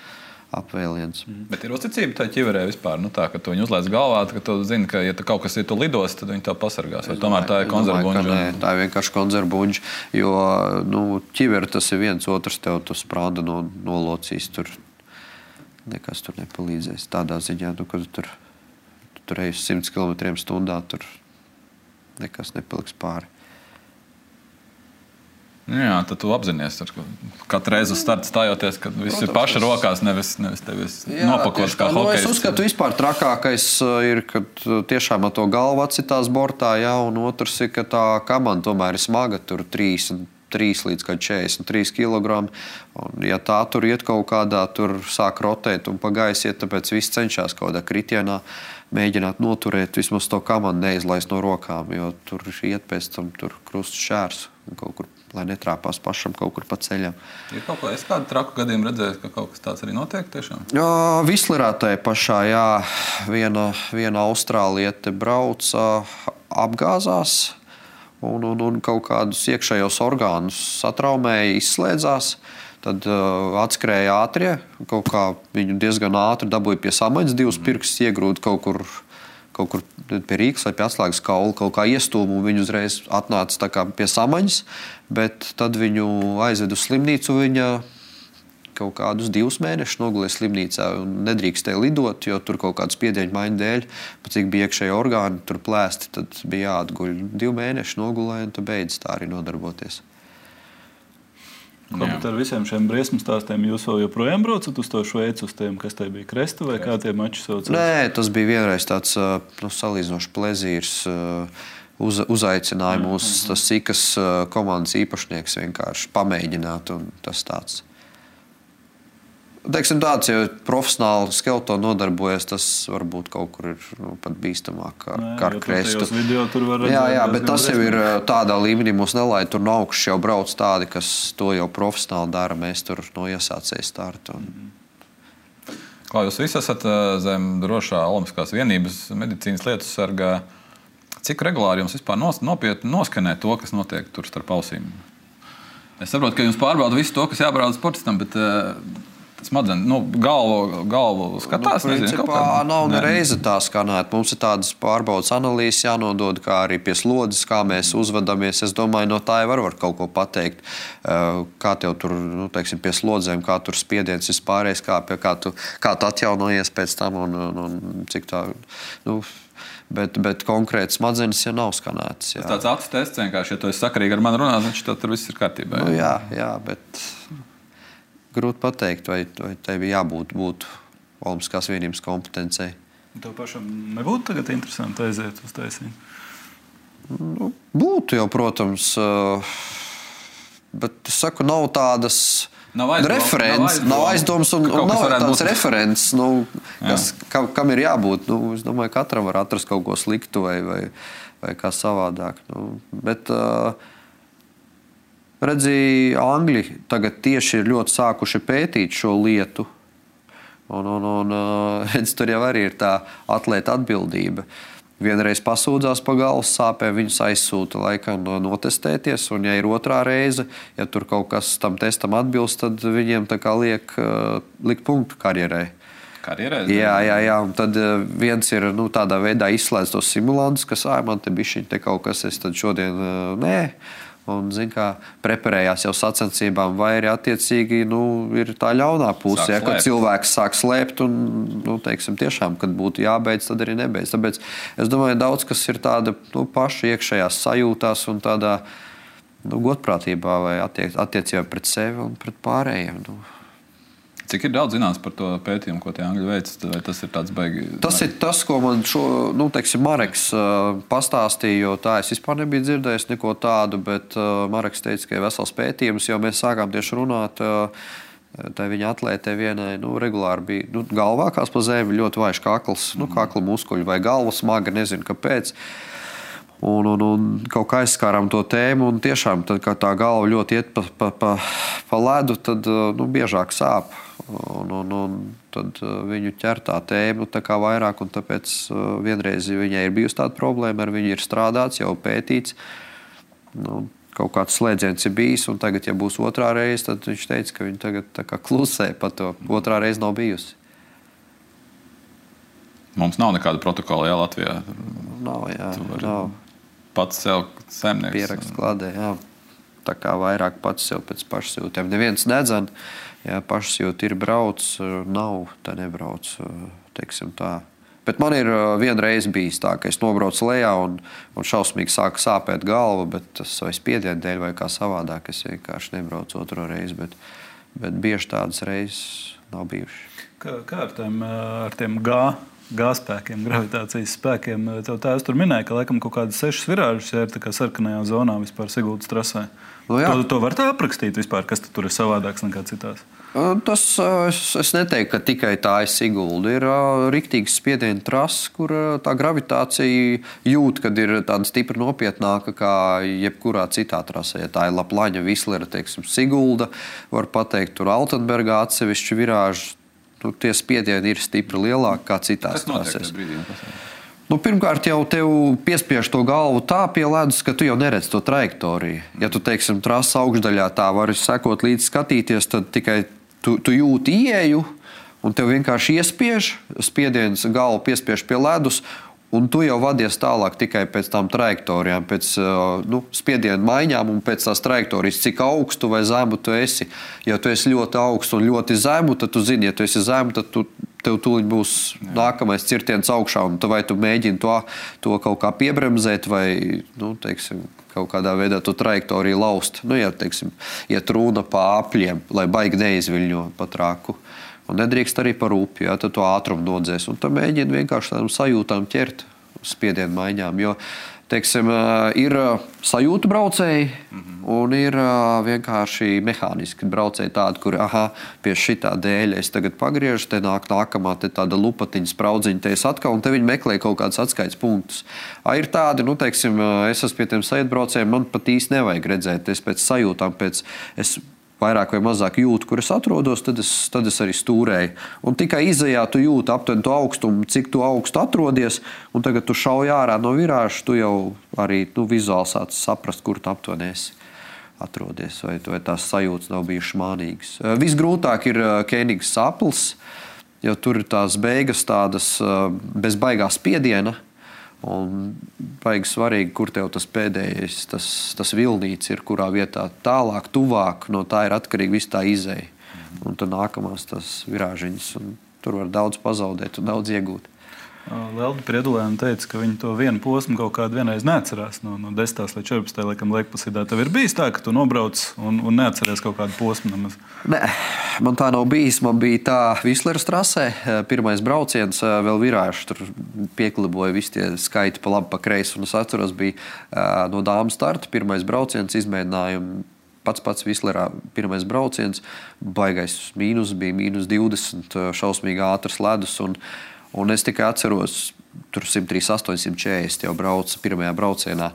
Speaker 3: apvēliens.
Speaker 1: Bet ir uzticība tā ķiverē vispār, tā, ka tu viņu uzliec galvā, ka tu zini, ka ja kaut kas ir tu lidos, tad viņi tā pasargās. Vai tomēr tā ir konzervbuņģa?
Speaker 3: Nē, tā ir vienkārši konzervbuņģa, jo ķiveri tas ir viens otrs, tev tu sprāda nolocīs, tur nekas tur nepalīdzēs. Tādā ziņā, kad tur ej 100 km/h, tur nekas nepaliks pāri.
Speaker 1: Jā, tad tu apzinies, katru reizi uz starta stājoties, ka viss ir paša rokās, nevis tevis nopakots kā hokejs.
Speaker 3: Es uzskatu, vispār trakākais ir, kad tiešām ar to galvu atsitās bortā, un otrs ir, ka tā kamana tomēr ir smaga, tur 33 līdz 43 kg. Un ja tā tur iet kaut kādā, tur sāk rotēt un pa gaisu iet, tāpēc viss cenšas kaut kādā kritienā mēģināt noturēt, vismaz to kamanu neizlaist no rokām, jo tur iet pēc tam tur krusts šērs un kaut kur, lai netrāpās pašam kaut kur pa ceļam.
Speaker 1: Ir kaut ko, es kādu traku gadījumu redzēju, ka kaut kas tāds arī notiek tiešām?
Speaker 3: Vislerā tai pašā, viena austrāliete brauca, apgāzās un kaut kādus iekšējos orgānus satraumēja, izslēdzās. Tad atskrēja ātrie, kaut kā viņu diezgan ātri dabūja pie samaņas, 2 pirkstus iegrūda kaut kur pie Rīgas vai pie atslēgas kaula, kaut kā iestūma, un viņu uzreiz atnāca tā kā pie samaņas, bet tad viņu aizved uz slimnīcu, viņa kaut kādus 2 mēnešus nogulēja slimnīcā un nedrīkstēja lidot, jo tur kaut kādu spiedienu maiņu dēļ, pat cik bija iekšēji orgāni, tur plēsti, tad bija jāatguļ. 2 mēneši nogulēja un tad beidz tā arī nodarboties.
Speaker 2: Ko, bet ar visiem šiem briesmu stāstiem jūs vēl joprojām braucat uz to Šveici, uz tiem, kas te bija Kresta vai kā tie mači saucās?
Speaker 3: Nē, tas bija vienreiz tāds salīdzinoši plezīrs. Uzaicināja mūs tas Sikas komandas īpašnieks vienkārši pamēģināt, un tas tāds. Teiksim tāds, ja profesionāli skeletonu nodarbojas, tas varbūt kaut kur ir pat bīstamāk kā ar Krestu. Jā, bet tas jau ir tādā līmenī, mūs nelaid tur no augšas jau brauc tādi, kas to jau profesionāli dara, mēs tur no iesācēja startu.
Speaker 1: Kā jūs visi esat zem drošā Olimpiskās vienības medicīnas lietu sargā, cik regulāri jums vispār nopietni noskanē to, kas notiek tur starp ausīm? Es saprotu, ka jums pārbauda visu to, kas jābauda sportistam, bet smadzenes, galvu skatās,
Speaker 3: principā nav nereize tā skanēt. Mums ir tādas pārbaudas analīzes jānodod, kā arī pie slodzes, kā mēs uzvedamies. Es domāju, no tā jau var kaut ko pateikt. Kā tev tur, teiksim, pie slodzēm, kā tur spiediens vispārējais, kā tu atjaunojies pēc tam un cik tā, bet konkrēti smadzenes jau nav skanētas.
Speaker 1: Tas tāds acu tests vienkārši, ja tu esi sakarīgi ar mani runāt, tad tur viss ir kārtībā.
Speaker 3: Jā, bet grūti pateikt, vai tev jābūt Olimpiskās vienības kompetencei.
Speaker 2: Tev pašam nebūtu tagad interesanti aiziet uz taisību?
Speaker 3: Būtu jau, protams, bet es saku, nav tādas referents, nav aizdoms un nav tāds referents, kam ir jābūt. Es domāju, katram var atrast kaut ko sliktu vai kā savādāk. Bet redzi, Angļi tagad tieši ir ļoti sākuši pētīt šo lietu. Un redz, tur jau arī ir tā atlēta atbildība. Vienreiz pasūdzās pa galvas sāpēm, viņus aizsūta laikam notestēties, un ja ir otrā reize, ja tur kaut kas tam testam atbilst, tad viņiem tā kā liek punktu karjerai. Jā, un tad viens ir tādā veidā izslēdz tos simulantus, kas man te bišķiņ te kaut kas, es tad šodien nē. Un, preparējās jau sacensībām, vai arī attiecīgi ir tā ļaunā puse, kad cilvēks sāk slēpt un, teiksim, tiešām, kad būtu jābeidz, tad arī nebeidz. Tāpēc es domāju, daudz kas ir tāda paša iekšējās sajūtās un tādā godprātībā vai attiecībā pret sevi un pret pārējiem.
Speaker 1: Cik ir daudz zināms par to pētījumu, ko tie Angļi veic? Vai tas ir tāds baigi?
Speaker 3: Tas ir tas, ko man Mareks pastāstīja, jo tā es vispār nebiju dzirdējis neko tādu, bet Mareks teica, ka ir vesels pētījums, jo mēs sākām tieši runāt, tā viņa atlētē vienai, regulāri bija galvā kās pa zemi, ļoti vājš kakls, kakla muskuļi vai galva smaga, nezinu kāpēc. Un kaut kā aizskārām to tēmu, un tiešām, tad, kad tā galva ļoti iet pa ledu, tad biežāk sāp. Un tad viņu ķer tā tēma tā kā vairāk, un tāpēc vienreiz viņai ir bijusi tāda problēma, ar viņu ir strādāts, jau pētīts. Kaut kāds slēdziens ir bijis, un tagad, ja būs otrā reize, tad viņš teica, ka viņa tagad tā kā klusē pa to. Otrā reize nav bijusi.
Speaker 1: Mums nav nekāda protokola, jā, Latvijā.
Speaker 3: Nav.
Speaker 1: Pats sev saimnieks.
Speaker 3: Pierakst kladē, jā. Tā kā vairāk pats sev pēc pašsajūtiem. Neviens nedzan, ja pašsajūti ir brauc, nav, tā nebrauc, teiksim tā. Bet man ir vienreiz bijis tā, ka es nobraucu lejā un šausmīgi sāka sāpēt galva, bet tas vai spiedienu dēļ vai kā savādāk, es vienkārši nebraucu otro reizi, bet bieži tādas reizes nav bijušas.
Speaker 2: Kā ar tiem G-spēkiem, gravitācijas spēkiem? Tev tā es tur minēju, ka laikam kaut kādas 6 virāžas ir tā kā sarkanajā zonā vispār Siguldas trasē. To var tā aprakstīt vispār, kas tur ir savādāks nekā citās?
Speaker 3: Tas, es neteiktu, ka tikai tā ir Sigulda. Ir riktīgs spiediena trasa, kur tā gravitācija jūt, kad ir tāda stipri nopietnāka kā jebkurā citā trasē. Ja tā ir Laplaņa, Vislera, teiksim, Sigulda, var pateikt, tur Altenbergā atsevišķi virāži. Tie spiedieni ir stipri lielāki kā citās trasēs. Pirmkārt, jau tev piespiež to galvu tā pie ledus, ka tu jau neredz to trajektoriju. Ja tu, teiksim, trasa augšdaļā tā vari sekot līdz skatīties, tad tikai tu jūti ieeju, un tev vienkārši iespiež, spiediens galvu piespiež pie ledus, un tu jau vadies tālāk tikai pēc tām trajektorijām, pēc spiedienu maiņām un pēc tās trajektorijas, cik augstu vai zemu tu esi. Ja tu esi ļoti augstu un ļoti zemu, tad tu zini, ja tu esi zemu, tad tev tūliņ būs nākamais cirtiens augšā, un vai tu mēģini to kaut kā piebremzēt vai, teiksim, kaut kādā veidā to trajektoriju laust. Ja, teiksim, iet runa pa apļiem, lai baigi neizviļņo pa traku. Un nedrīkst arī par upi, ja, tad to ātrumu nodzēs. Un tad mēģina vienkārši tādām sajūtām ķert spiedienu maiņām. Jo, teiksim, ir sajūtu braucēji un ir vienkārši mehāniski braucēji tādi, kuri, pie šitā dēļ es tagad pagriežu, te nākamā te tāda lupatiņa spraudziņa, te es atkal, un te viņi meklē kaut kādus atskaites punktus. Ir tādi, teiksim, es esmu pie tiem sajūtbraucējiem, man pat īsti nevajag redzēt, es pēc sajūtām, es vairāk vai mazāk jūtu, kur es atrodos, tad es arī stūrēju. Un tikai izejā tu jūti aptuveni to augstumu, cik tu augstu atrodies, un tagad tu šauj ārā no virāža, tu jau arī vizuāli sāc saprast, kur tu aptuveni esi atrodies, vai tās sajūtas nav bijušas mānīgas. Visgrūtāk ir Kēnigas saples, jo tur ir tās beigas tādas bez baigā spiediena, un baigi svarīgi, kur tev tas pēdējais, tas vilnīts ir, kurā vietā tālāk, tuvāk, no tā ir atkarīgi viss tā izeja. Un tad nākamās tas virāžiņas, un tur var daudz pazaudēt un daudz iegūt.
Speaker 2: Lelda Priedulēna teica, ka viņi to vienu posmu kaut kādu vienreiz neatcerās no 10. līdz 14. laikam laikposīdā. Tev ir bijis tā, ka tu nobrauc un neatceries kaut kādu posmu nemaz?
Speaker 3: Nē, man tā nav bijis. Man bija tā Visleras trasē, pirmais brauciens, vēl virāžu, tur piekliboja visi tie skaiti pa labi, pa kreisi. Un es atceros, bija no dāmas starta, pirmais brauciens, izmēģinājumu. Pats Vislerā pirmais brauciens, baigais mīnus bija -20, šausmīgi ātrs ledus. Un es tikai atceros, tur 138, 140 jau brauca pirmajā braucienā.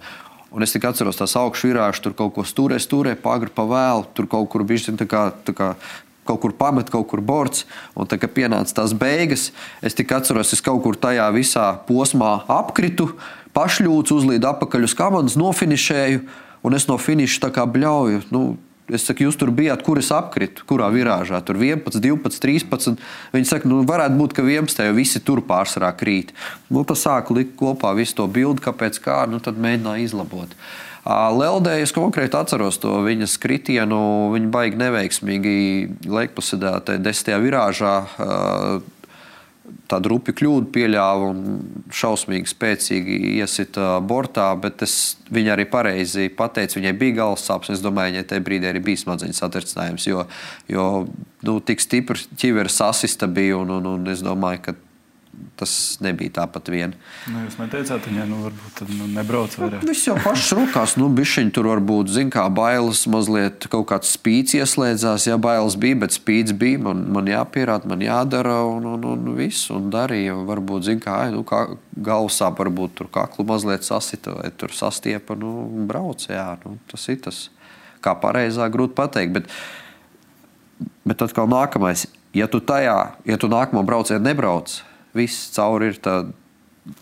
Speaker 3: Un es tikai atceros tās augšu virāžu, tur kaut ko stūrē, pagri pa vēlu, tur kaut kur bišķi tā kā kaut kur pamet, kaut kur borts. Un tā, kad pienāca tās beigas, es tikai atceros, es kaut kur tajā visā posmā apkritu, pašļūcu, uzlīdu apakaļ uz kamanas, nofinišēju, un es no finiša tā kā bļauju. Es saku, jūs tur bijāt, kur es apkritu, kurā virāžā, tur 11, 12, 13. Viņi saka, varētu būt, ka 11, jo visi tur pārsvarā krīt. Tas sāku likt kopā visu to bildi, kāpēc kā, tad mēģināju izlabot. Leldē es konkrēti atceros to viņas kritienu, viņa baigi neveiksmīgi laikposēdā 10. virāžā tādu rupju kļūdu pieļāva un šausmīgi spēcīgi iesita bortā, bet viņa arī pareizi pateica, viņai bija galvas sāpes, un es domāju, viņai tajā brīdī arī bija smadzeņu satricinājums, jo tik stipri ķivera sasista bija, un es domāju, ka tas nebija tāpat vien.
Speaker 2: Jūs man teicāt, viņai varbūt tad nebrauc vairāk.
Speaker 3: Viss jau pašas rokās, bišķiņ tur varbūt, kā bailes, mazliet kaut kāds spīds ieslēdzās, bailes bija, bet spīds bija, man jāpierāda, man jādara, un viss, un darīja, varbūt, kā galvasāp, varbūt tur kaklu mazliet sasita, vai tur sastiepa, brauc, tas ir tas, kā pareizā grūti pateikt, bet atkal nākamais, ja tu nākamo braucienu nebrauc, viss cauri ir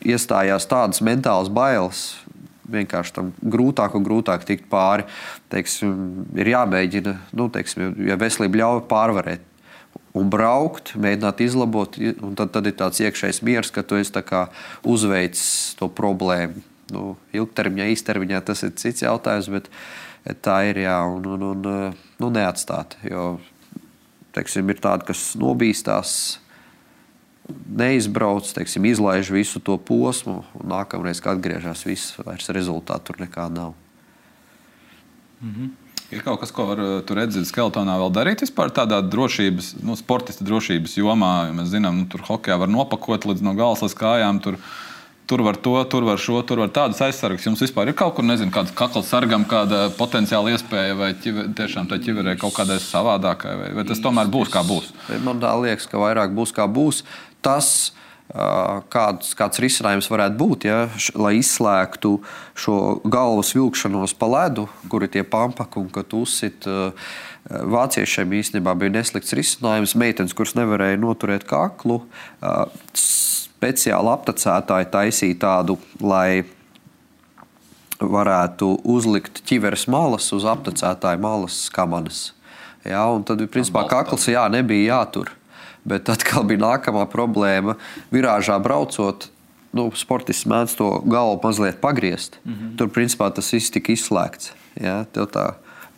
Speaker 3: iestājās tādas mentālas bailes, vienkārši tam grūtāk un grūtāk tikt pāri. Teiksim, ir jāmēģina, ja veselība ļauj pārvarēt un braukt, mēģināt izlabot, un tad ir tāds iekšējs miers, ka tu esi tā kā uzveicis to problēmu. Ilgtermiņā, īstermiņā tas ir cits jautājums, bet tā ir, un neatstāt, jo, teiksim, ir tādi, kas nobīstās, neizbrauc, teiksim, izlaiž visu to posmu, un nākamreiz, kad atgriežās, viss vairs rezultātu tur nekā nav.
Speaker 1: Ir kaut kas, ko var tur redzēt skeletonā vēl darīt vispār tādā drošības, sportista drošības jomā, jo mēs zinām, tur hokejā var nopakot līdz no galas līdz kājām, tur var to, tur var šo, tur var tādas aizsargas. Jums vispār ir kaut kur, nezinu, kāds kakls sargam, kāda potenciāla iespēja, vai tiešām tā ķiverē kaut kādai savādākai, vai tas tomēr būs kā būs?
Speaker 3: Man tā liekas, ka vairāk būs kā būs. Tas, kāds risinājums varētu būt, lai izslēgtu šo galvas vilkšanos pa ledu, kur ir tie pampaki un kad uzsit. Vāciešiem īstenībā bija neslikts risinājums. Meitenes, kuras nevarēja noturēt kaklu, speciāli aptecētāji taisīja tādu, lai varētu uzlikt ķiveres malas uz aptecētāju malas kamanas. Jā, un tad, principā, kakls nebija jātur. Bet atkal bija nākamā problēma. Virāžā braucot, sportists mēdz to galvu mazliet pagriezt. Tur, principā, tas viss tika izslēgts. Jā, tev tā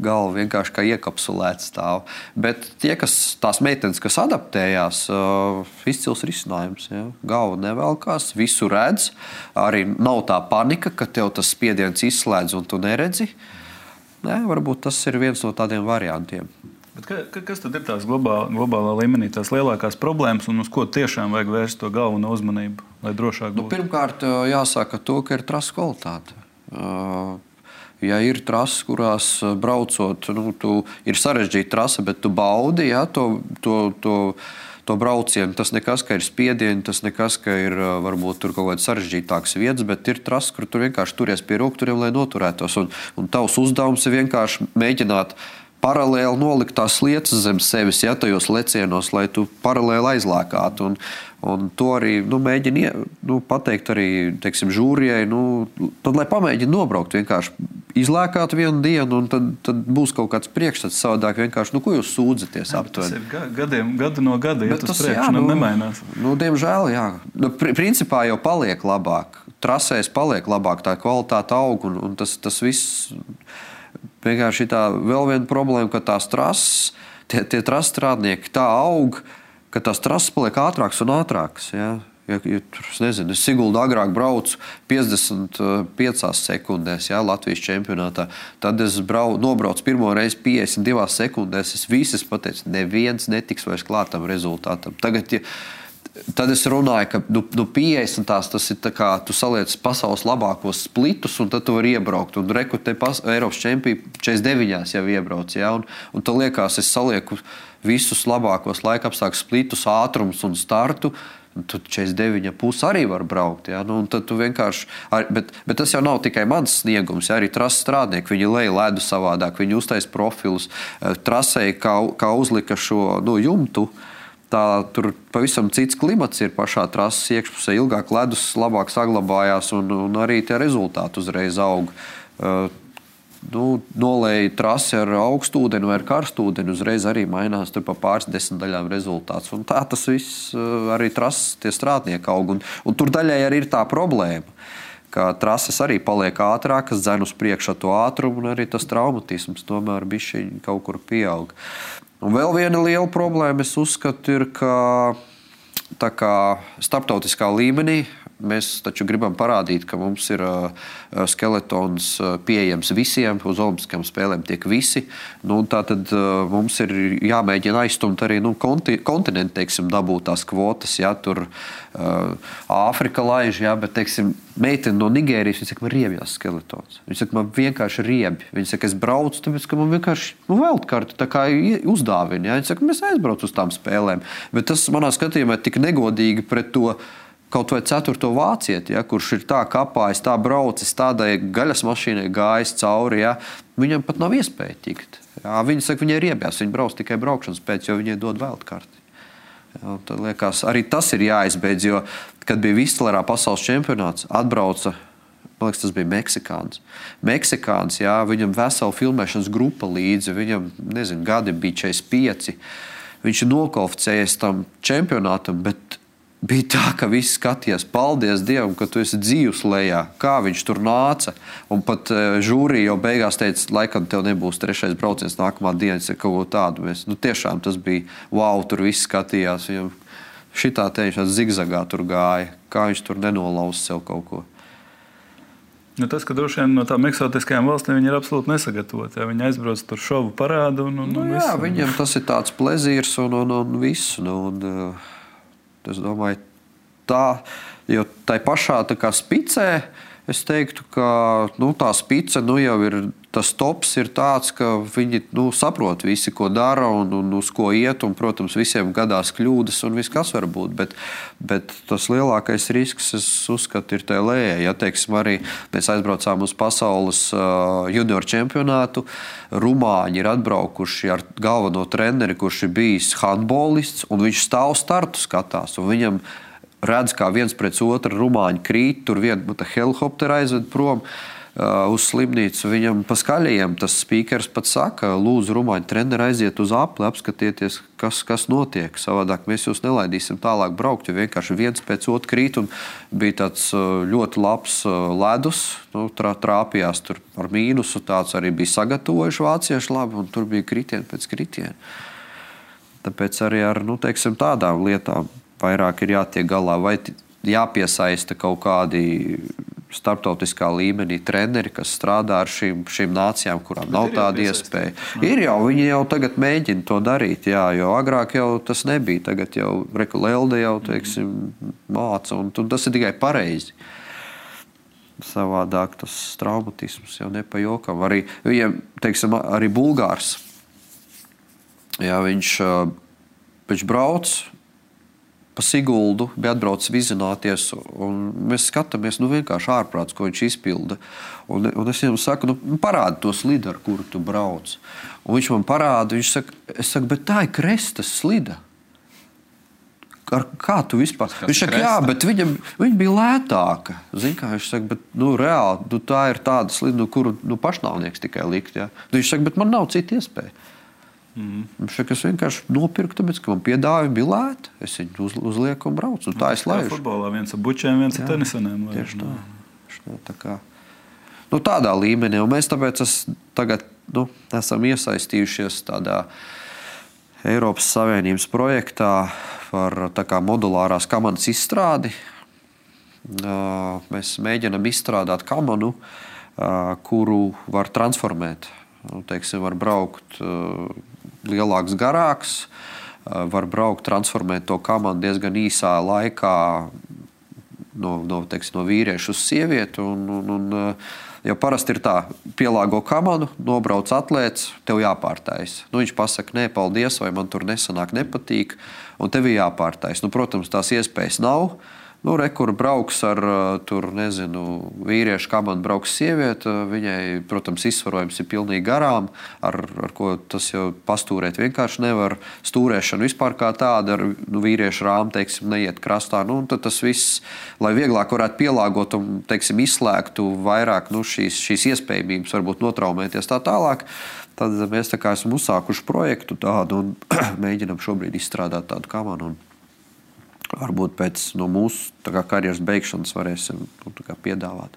Speaker 3: galva vienkārši kā iekapsulēta stāv. Bet tās meitenes, kas adaptējās, izcils risinājums. Jā. Galva nevelkās, visu redz. Arī nav tā panika, ka tev tas spiediens izslēdz un tu neredzi. Nē, varbūt tas ir viens no tādiem variantiem.
Speaker 2: Bet kas tad ir tās globālā līmenī, tās lielākās problēmas un uz ko tiešām vajag vērst to galveno uzmanību, lai drošāk būtu?
Speaker 3: Pirmkārt, jāsaka to, ka ir trasu kvalitāte. Ja ir trases, kurās braucot, ir sarežģīta trasa, bet tu baudi to braucienu. Tas nekas, ka ir spiedieni, tas nekas, ka ir varbūt tur kaut kāds sarežģītāks vietas, bet ir trases, kur tu vienkārši turies pie rokturiem, lai noturētos. Un tavs uzdevums ir vienkārši mēģināt paralēli nolikt tās lietas zem sevis, tajos lecienos, lai tu paralēli aizlēkātu. Un to arī mēģina pateikt arī, teiksim, žūrijai. Tad, lai pamēģina nobraukt, vienkārši izlēkāt vienu dienu, un tad būs kaut kāds priekšstats savādāk. Vienkārši, ko jūs sūdzaties aptuveni?
Speaker 2: Tas ir gadu no gada, ja tas priekš nemainās.
Speaker 3: Diemžēl, jā. Principā jau paliek labāk. Trasēs paliek labāk, tā kvalitāte aug, un tas viss... Vienkārši tā vēl viena problēma, ka tās trases, tie trases strādnieki tā aug, ka tās trases paliek ātrākas un ātrākas. Ja? Es Siguldu agrāk braucu 55 sekundēs, Latvijas čempionātā. Tad es nobraucu pirmo reizi 52 sekundēs. Es visas pateicu, neviens netiks vairs klātam rezultātam. Tad es runāju, ka 50 tas ir tā kā tu saliec pasaules labākos splitus, un tad tu vari iebraukt. Un reku te Eiropas čempioni 49 jau iebrauc. Ja? Un tad liekas, es salieku visus labākos laikapstākļus splitus, ātrums un startu. Tu 49,5 arī var braukt. Ja? Un tad tu vienkārši, bet tas jau nav tikai mans sniegums. Ja? Arī trases strādnieki, viņi lej ledu savādāk, viņi uztais profilus. Trasei, kā uzlika šo jumtu, tur pavisam cits klimats ir pašā trases iekšpusē. Ilgāk ledus labāk saglabājās un arī tie rezultāti uzreiz aug. Nolēja trasi ar augstu ūdeni vai ar karstu ūdeni, uzreiz arī mainās tur pa pāris desmitdaļām rezultāts. Un tā tas viss arī trases tie strādnieki aug. Un tur daļai arī ir tā problēma, ka trases arī paliek ātrākas, dzen uz priekšu to ātrumu, un arī tas traumatisms tomēr bišķiņ kaut kur pieaug. Un vēl viena liela problēma, es uzskatu, ir, ka tā kā starptautiskā līmenī mēs taču gribam parādīt, ka mums ir skeletons pieejams visiem, uz olimpiskajām spēlēm tiek visi. Tātad mums ir jāmēģina aizstumt arī kontinentu, teiksim, dabūt tās kvotas. Ja, tur Āfrika laiž, ja, bet, teiksim, meitene no Nigērijas, viņa saka, man riebjās skeletons. Viņa saka, man vienkārši riebi. Viņa saka, es braucu, tāpēc, ka man vienkārši veldkarti tā kā uzdāvina. Ja. Viņa saka, mēs aizbraucu uz tām spēlēm. Bet tas manā skatījumā ir tik negodīgi pret to kaut vai 4. vācieti, ja, kurš ir tā kapājis, tā braucis, tādai gaļas mašīnai gājis cauri, ja, viņam pat nav iespēja tikt. Ja, viņa saka, viņai riebjās, viņa brauc tikai braukšanas pēc, jo viņai dod veldkarti. Ja, tad liekas, arī tas ir jāizbeidz, jo, kad bija Vistlerā pasaules čempionāts, atbrauca, man liekas, tas bija Meksikāns, ja, viņam vesela filmēšanas grupa līdzi, viņam, gadi bija 45, viņš ir nokvalificējies tam čempionātam, bet bija tā, ka visi skatījās, paldies Dievam, ka tu esi dzīvs lejā, kā viņš tur nāca. Un pat žūrija jau beigās teica, laikam tev nebūs 3. brauciens nākamā dienas ar kaut ko tādu. Tiešām tas bija, wow, tur visi skatījās. Viņam šitā teiņš zigzagā tur gāja, kā viņš tur nenolauz sev kaut ko.
Speaker 2: Tas, ka droši vien no tām eksotiskajām valstīm viņi ir absolūti nesagatavoti. Ja? Viņi aizbrauc tur šovu parādu un
Speaker 3: jā, viņam tas ir tāds plezīrs un visu. Es domāju, jo tai pašā tā kā spicē, es teiktu, ka tā spice jau ir, tas tops ir tāds, ka viņi saprot visi, ko dara un uz ko iet, un, protams, visiem gadās kļūdas un viss, kas var būt, bet tas lielākais risks, es uzskatu, ir tajā lejā. Ja, teiksim, arī mēs aizbraucām uz pasaules junior čempionātu, rumāņi ir atbraukuši ar galveno treneri, kurš ir bijis handbolists, un viņš stāv startu skatās, un viņam redz, kā viens pret otru rumāņi krīt, tur viena helikoptera aizved prom uz slimnīcu. Viņam pa skaļajiem tas spīkers pat saka, lūdzu, rumāņu treneri aiziet uz apli, apskatieties, kas notiek. Savādāk mēs jūs nelaidīsim tālāk braukt, jo vienkārši viens pēc otru krīt. Un bija tāds ļoti labs ledus, trāpījās tur ar mīnusu, tāds arī bija sagatavojuši vācieši labi, un tur bija kritieni pēc kritieni. Tāpēc arī ar tādām lietām vairāk ir jātiek galā, vai jāpiesaista kaut kādi starptautiskā līmenī treneri, kas strādā ar šīm nācijām, kurām nav tāda iespēja. Ir jau, viņi jau tagad mēģina to darīt, jā, jo agrāk jau tas nebija. Tagad jau Lelde jau, māca, un tas ir tikai pareizi. Savādāk tas traumatisms jau nepajokam. Arī, arī Bulgārs. Jā, viņš brauc pa Siguldu, bija atbraucis vizināties, un mēs skatāmies, vienkārši ārprāts, ko viņš izpilda. Un es viņam saku, parādi to slidu, ar kuru tu brauc. Un viņš man parāda, es saku, bet tā ir Krestas slida. Kā tu vispār? Viņš saka, jā, bet viņa bija lētāka. Zini, kā viņš saka, bet reāli, tā ir tāda slida, kuru pašnāvnieks tikai likt. Jā. Viņš saka, bet man nav cita iespēja. Viņš saka, es vienkārši nopirku, tāpēc, ka man piedāvājumi bija lēti. Es viņu uzlieku un braucu. Un tā es laižu.
Speaker 2: Futbolā viens ar bučiem, viens ar tenisanēm.
Speaker 3: Tieši tā. Tādā līmenī. Un mēs tāpēc tagad esam iesaistījušies tādā Eiropas Savienības projektā par modulārās kamanas izstrādi. Mēs mēģinam izstrādāt kamanu, kuru var transformēt. Var braukt lielāks, garāks, var braukt, transformēt to kamanu diezgan īsā laikā no vīrieša uz sievieti. Jo parasti ir tā, pielāgo kamanu, nobrauc atlēts, tev jāpārtais. Viņš pasaka, nē, paldies, vai man tur nesanāk, nepatīk, un tev jāpārtais. Protams, tās iespējas nav. Kur brauks ar vīriešu kamanu, brauks sieviete, viņai, protams, izsvarojums ir pilnīgi garām, ar ko tas jau pastūrēt vienkārši nevar. Stūrēšana vispār kā tāda, ar vīriešu rāmu, neiet krastā. Tad tas viss, lai vieglāk varētu pielāgot un, izslēgtu vairāk šīs iespējamības, varbūt notraumēties tā tālāk, tad mēs esam uzsākuši projektu tādu un mēģinam šobrīd izstrādāt tādu kamanu. Varbūt pēc mūsu karjeras beigšanas varēsim piedāvāt.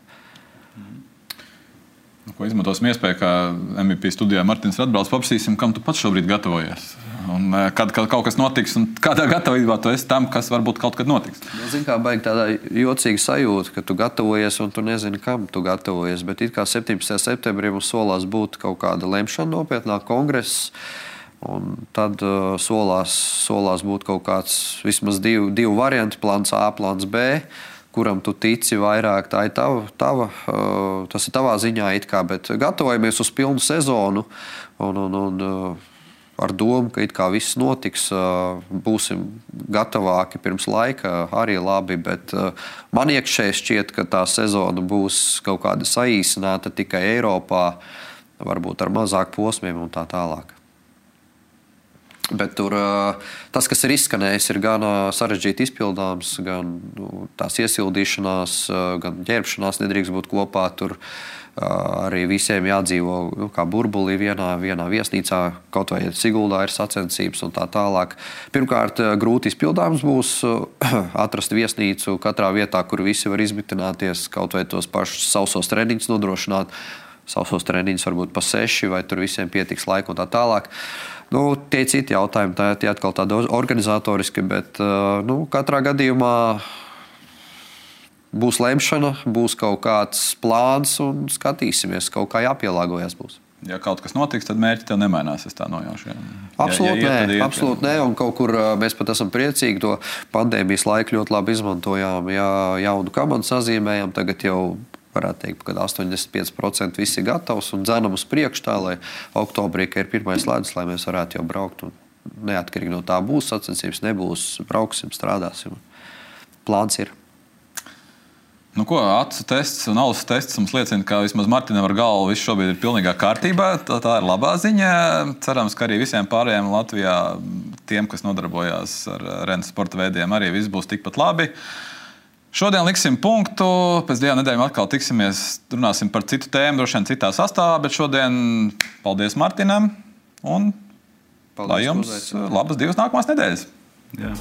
Speaker 1: Izmantosim iespēju, ka MVP studijā Martins Radbrauls paprasīsim, kam tu pats šobrīd gatavojies. Un kad kaut kas notiks, un kādā gatavībā tu esi tam, kas varbūt kaut kad notiks.
Speaker 3: Zini, kā baigi tādā jocīga sajūta, ka tu gatavojies un tu nezini, kam tu gatavojies. Bet it kā 17. septembrī mums solās būt kaut kāda lemšana nopietnā kongresa. Un tad solās būt kaut kāds vismaz divi varianti, plāns A, plāns B, kuram tu tici vairāk. Tā ir tas ir tavā ziņā it kā, bet gatavojamies uz pilnu sezonu un ar domu, ka it kā viss notiks, būsim gatavāki pirms laika, arī labi, bet man iekšēji šķiet, ka tā sezona būs kaut kāda saīsināta tikai Eiropā, varbūt ar mazāk posmiem un tā tālāk. Bet tur tas, kas ir izskanējis, ir gan sarežģīti izpildāms, gan tās iesildīšanās, gan ģērbšanās nedrīkst būt kopā. Tur arī visiem jādzīvo kā burbulī vienā viesnīcā, kaut vai Siguldā ir sacensības un tā tālāk. Pirmkārt, grūti izpildāms būs atrast viesnīcu katrā vietā, kur visi var izmitināties, kaut vai tos pašus sausos treniņus nodrošināt. Sausos treniņus varbūt pa 6, vai tur visiem pietiks laika un tā tālāk. Tie citi jautājumi, tie atkal tādi organizatoriski, bet katrā gadījumā būs lemšana, būs kaut kāds plāns un skatīsimies, kaut kā jāpielāgojas būs.
Speaker 1: Ja kaut kas notiks, tad mērķi tev nemainās, es tā nojaušu.
Speaker 3: Absolūti nē, un kaut kur mēs pat esam priecīgi to pandēmijas laiku ļoti labi izmantojām, jaunu kamanu sazīmējam, tagad jau varētu teikt, ka 85% viss ir gatavs un dzenam uz priekšu tā, lai oktobrī, ka ir pirmais ledus, lai mēs varētu jau braukt. Un neatkarīgi no tā būs sacensības, nebūs, brauksim, strādāsim. Plāns ir.
Speaker 1: Acu tests un ausu tests mums liecina, ka vismaz Martinam ar galvu viss šobrīd ir pilnīgā kārtībā. Tā ir labā ziņa. Cerams, ka arī visiem pārējiem Latvijā tiem, kas nodarbojās ar rennes sporta veidiem, arī viss būs tikpat labi. Šodien liksim punktu. Pēc 2 nedēļām atkal tiksimies, runāsim par citu tēmu, droši vien citā sastāvā, bet šodien paldies Martinam un paldies, lai jums labas 2 nākamās nedēļas.
Speaker 2: Jā.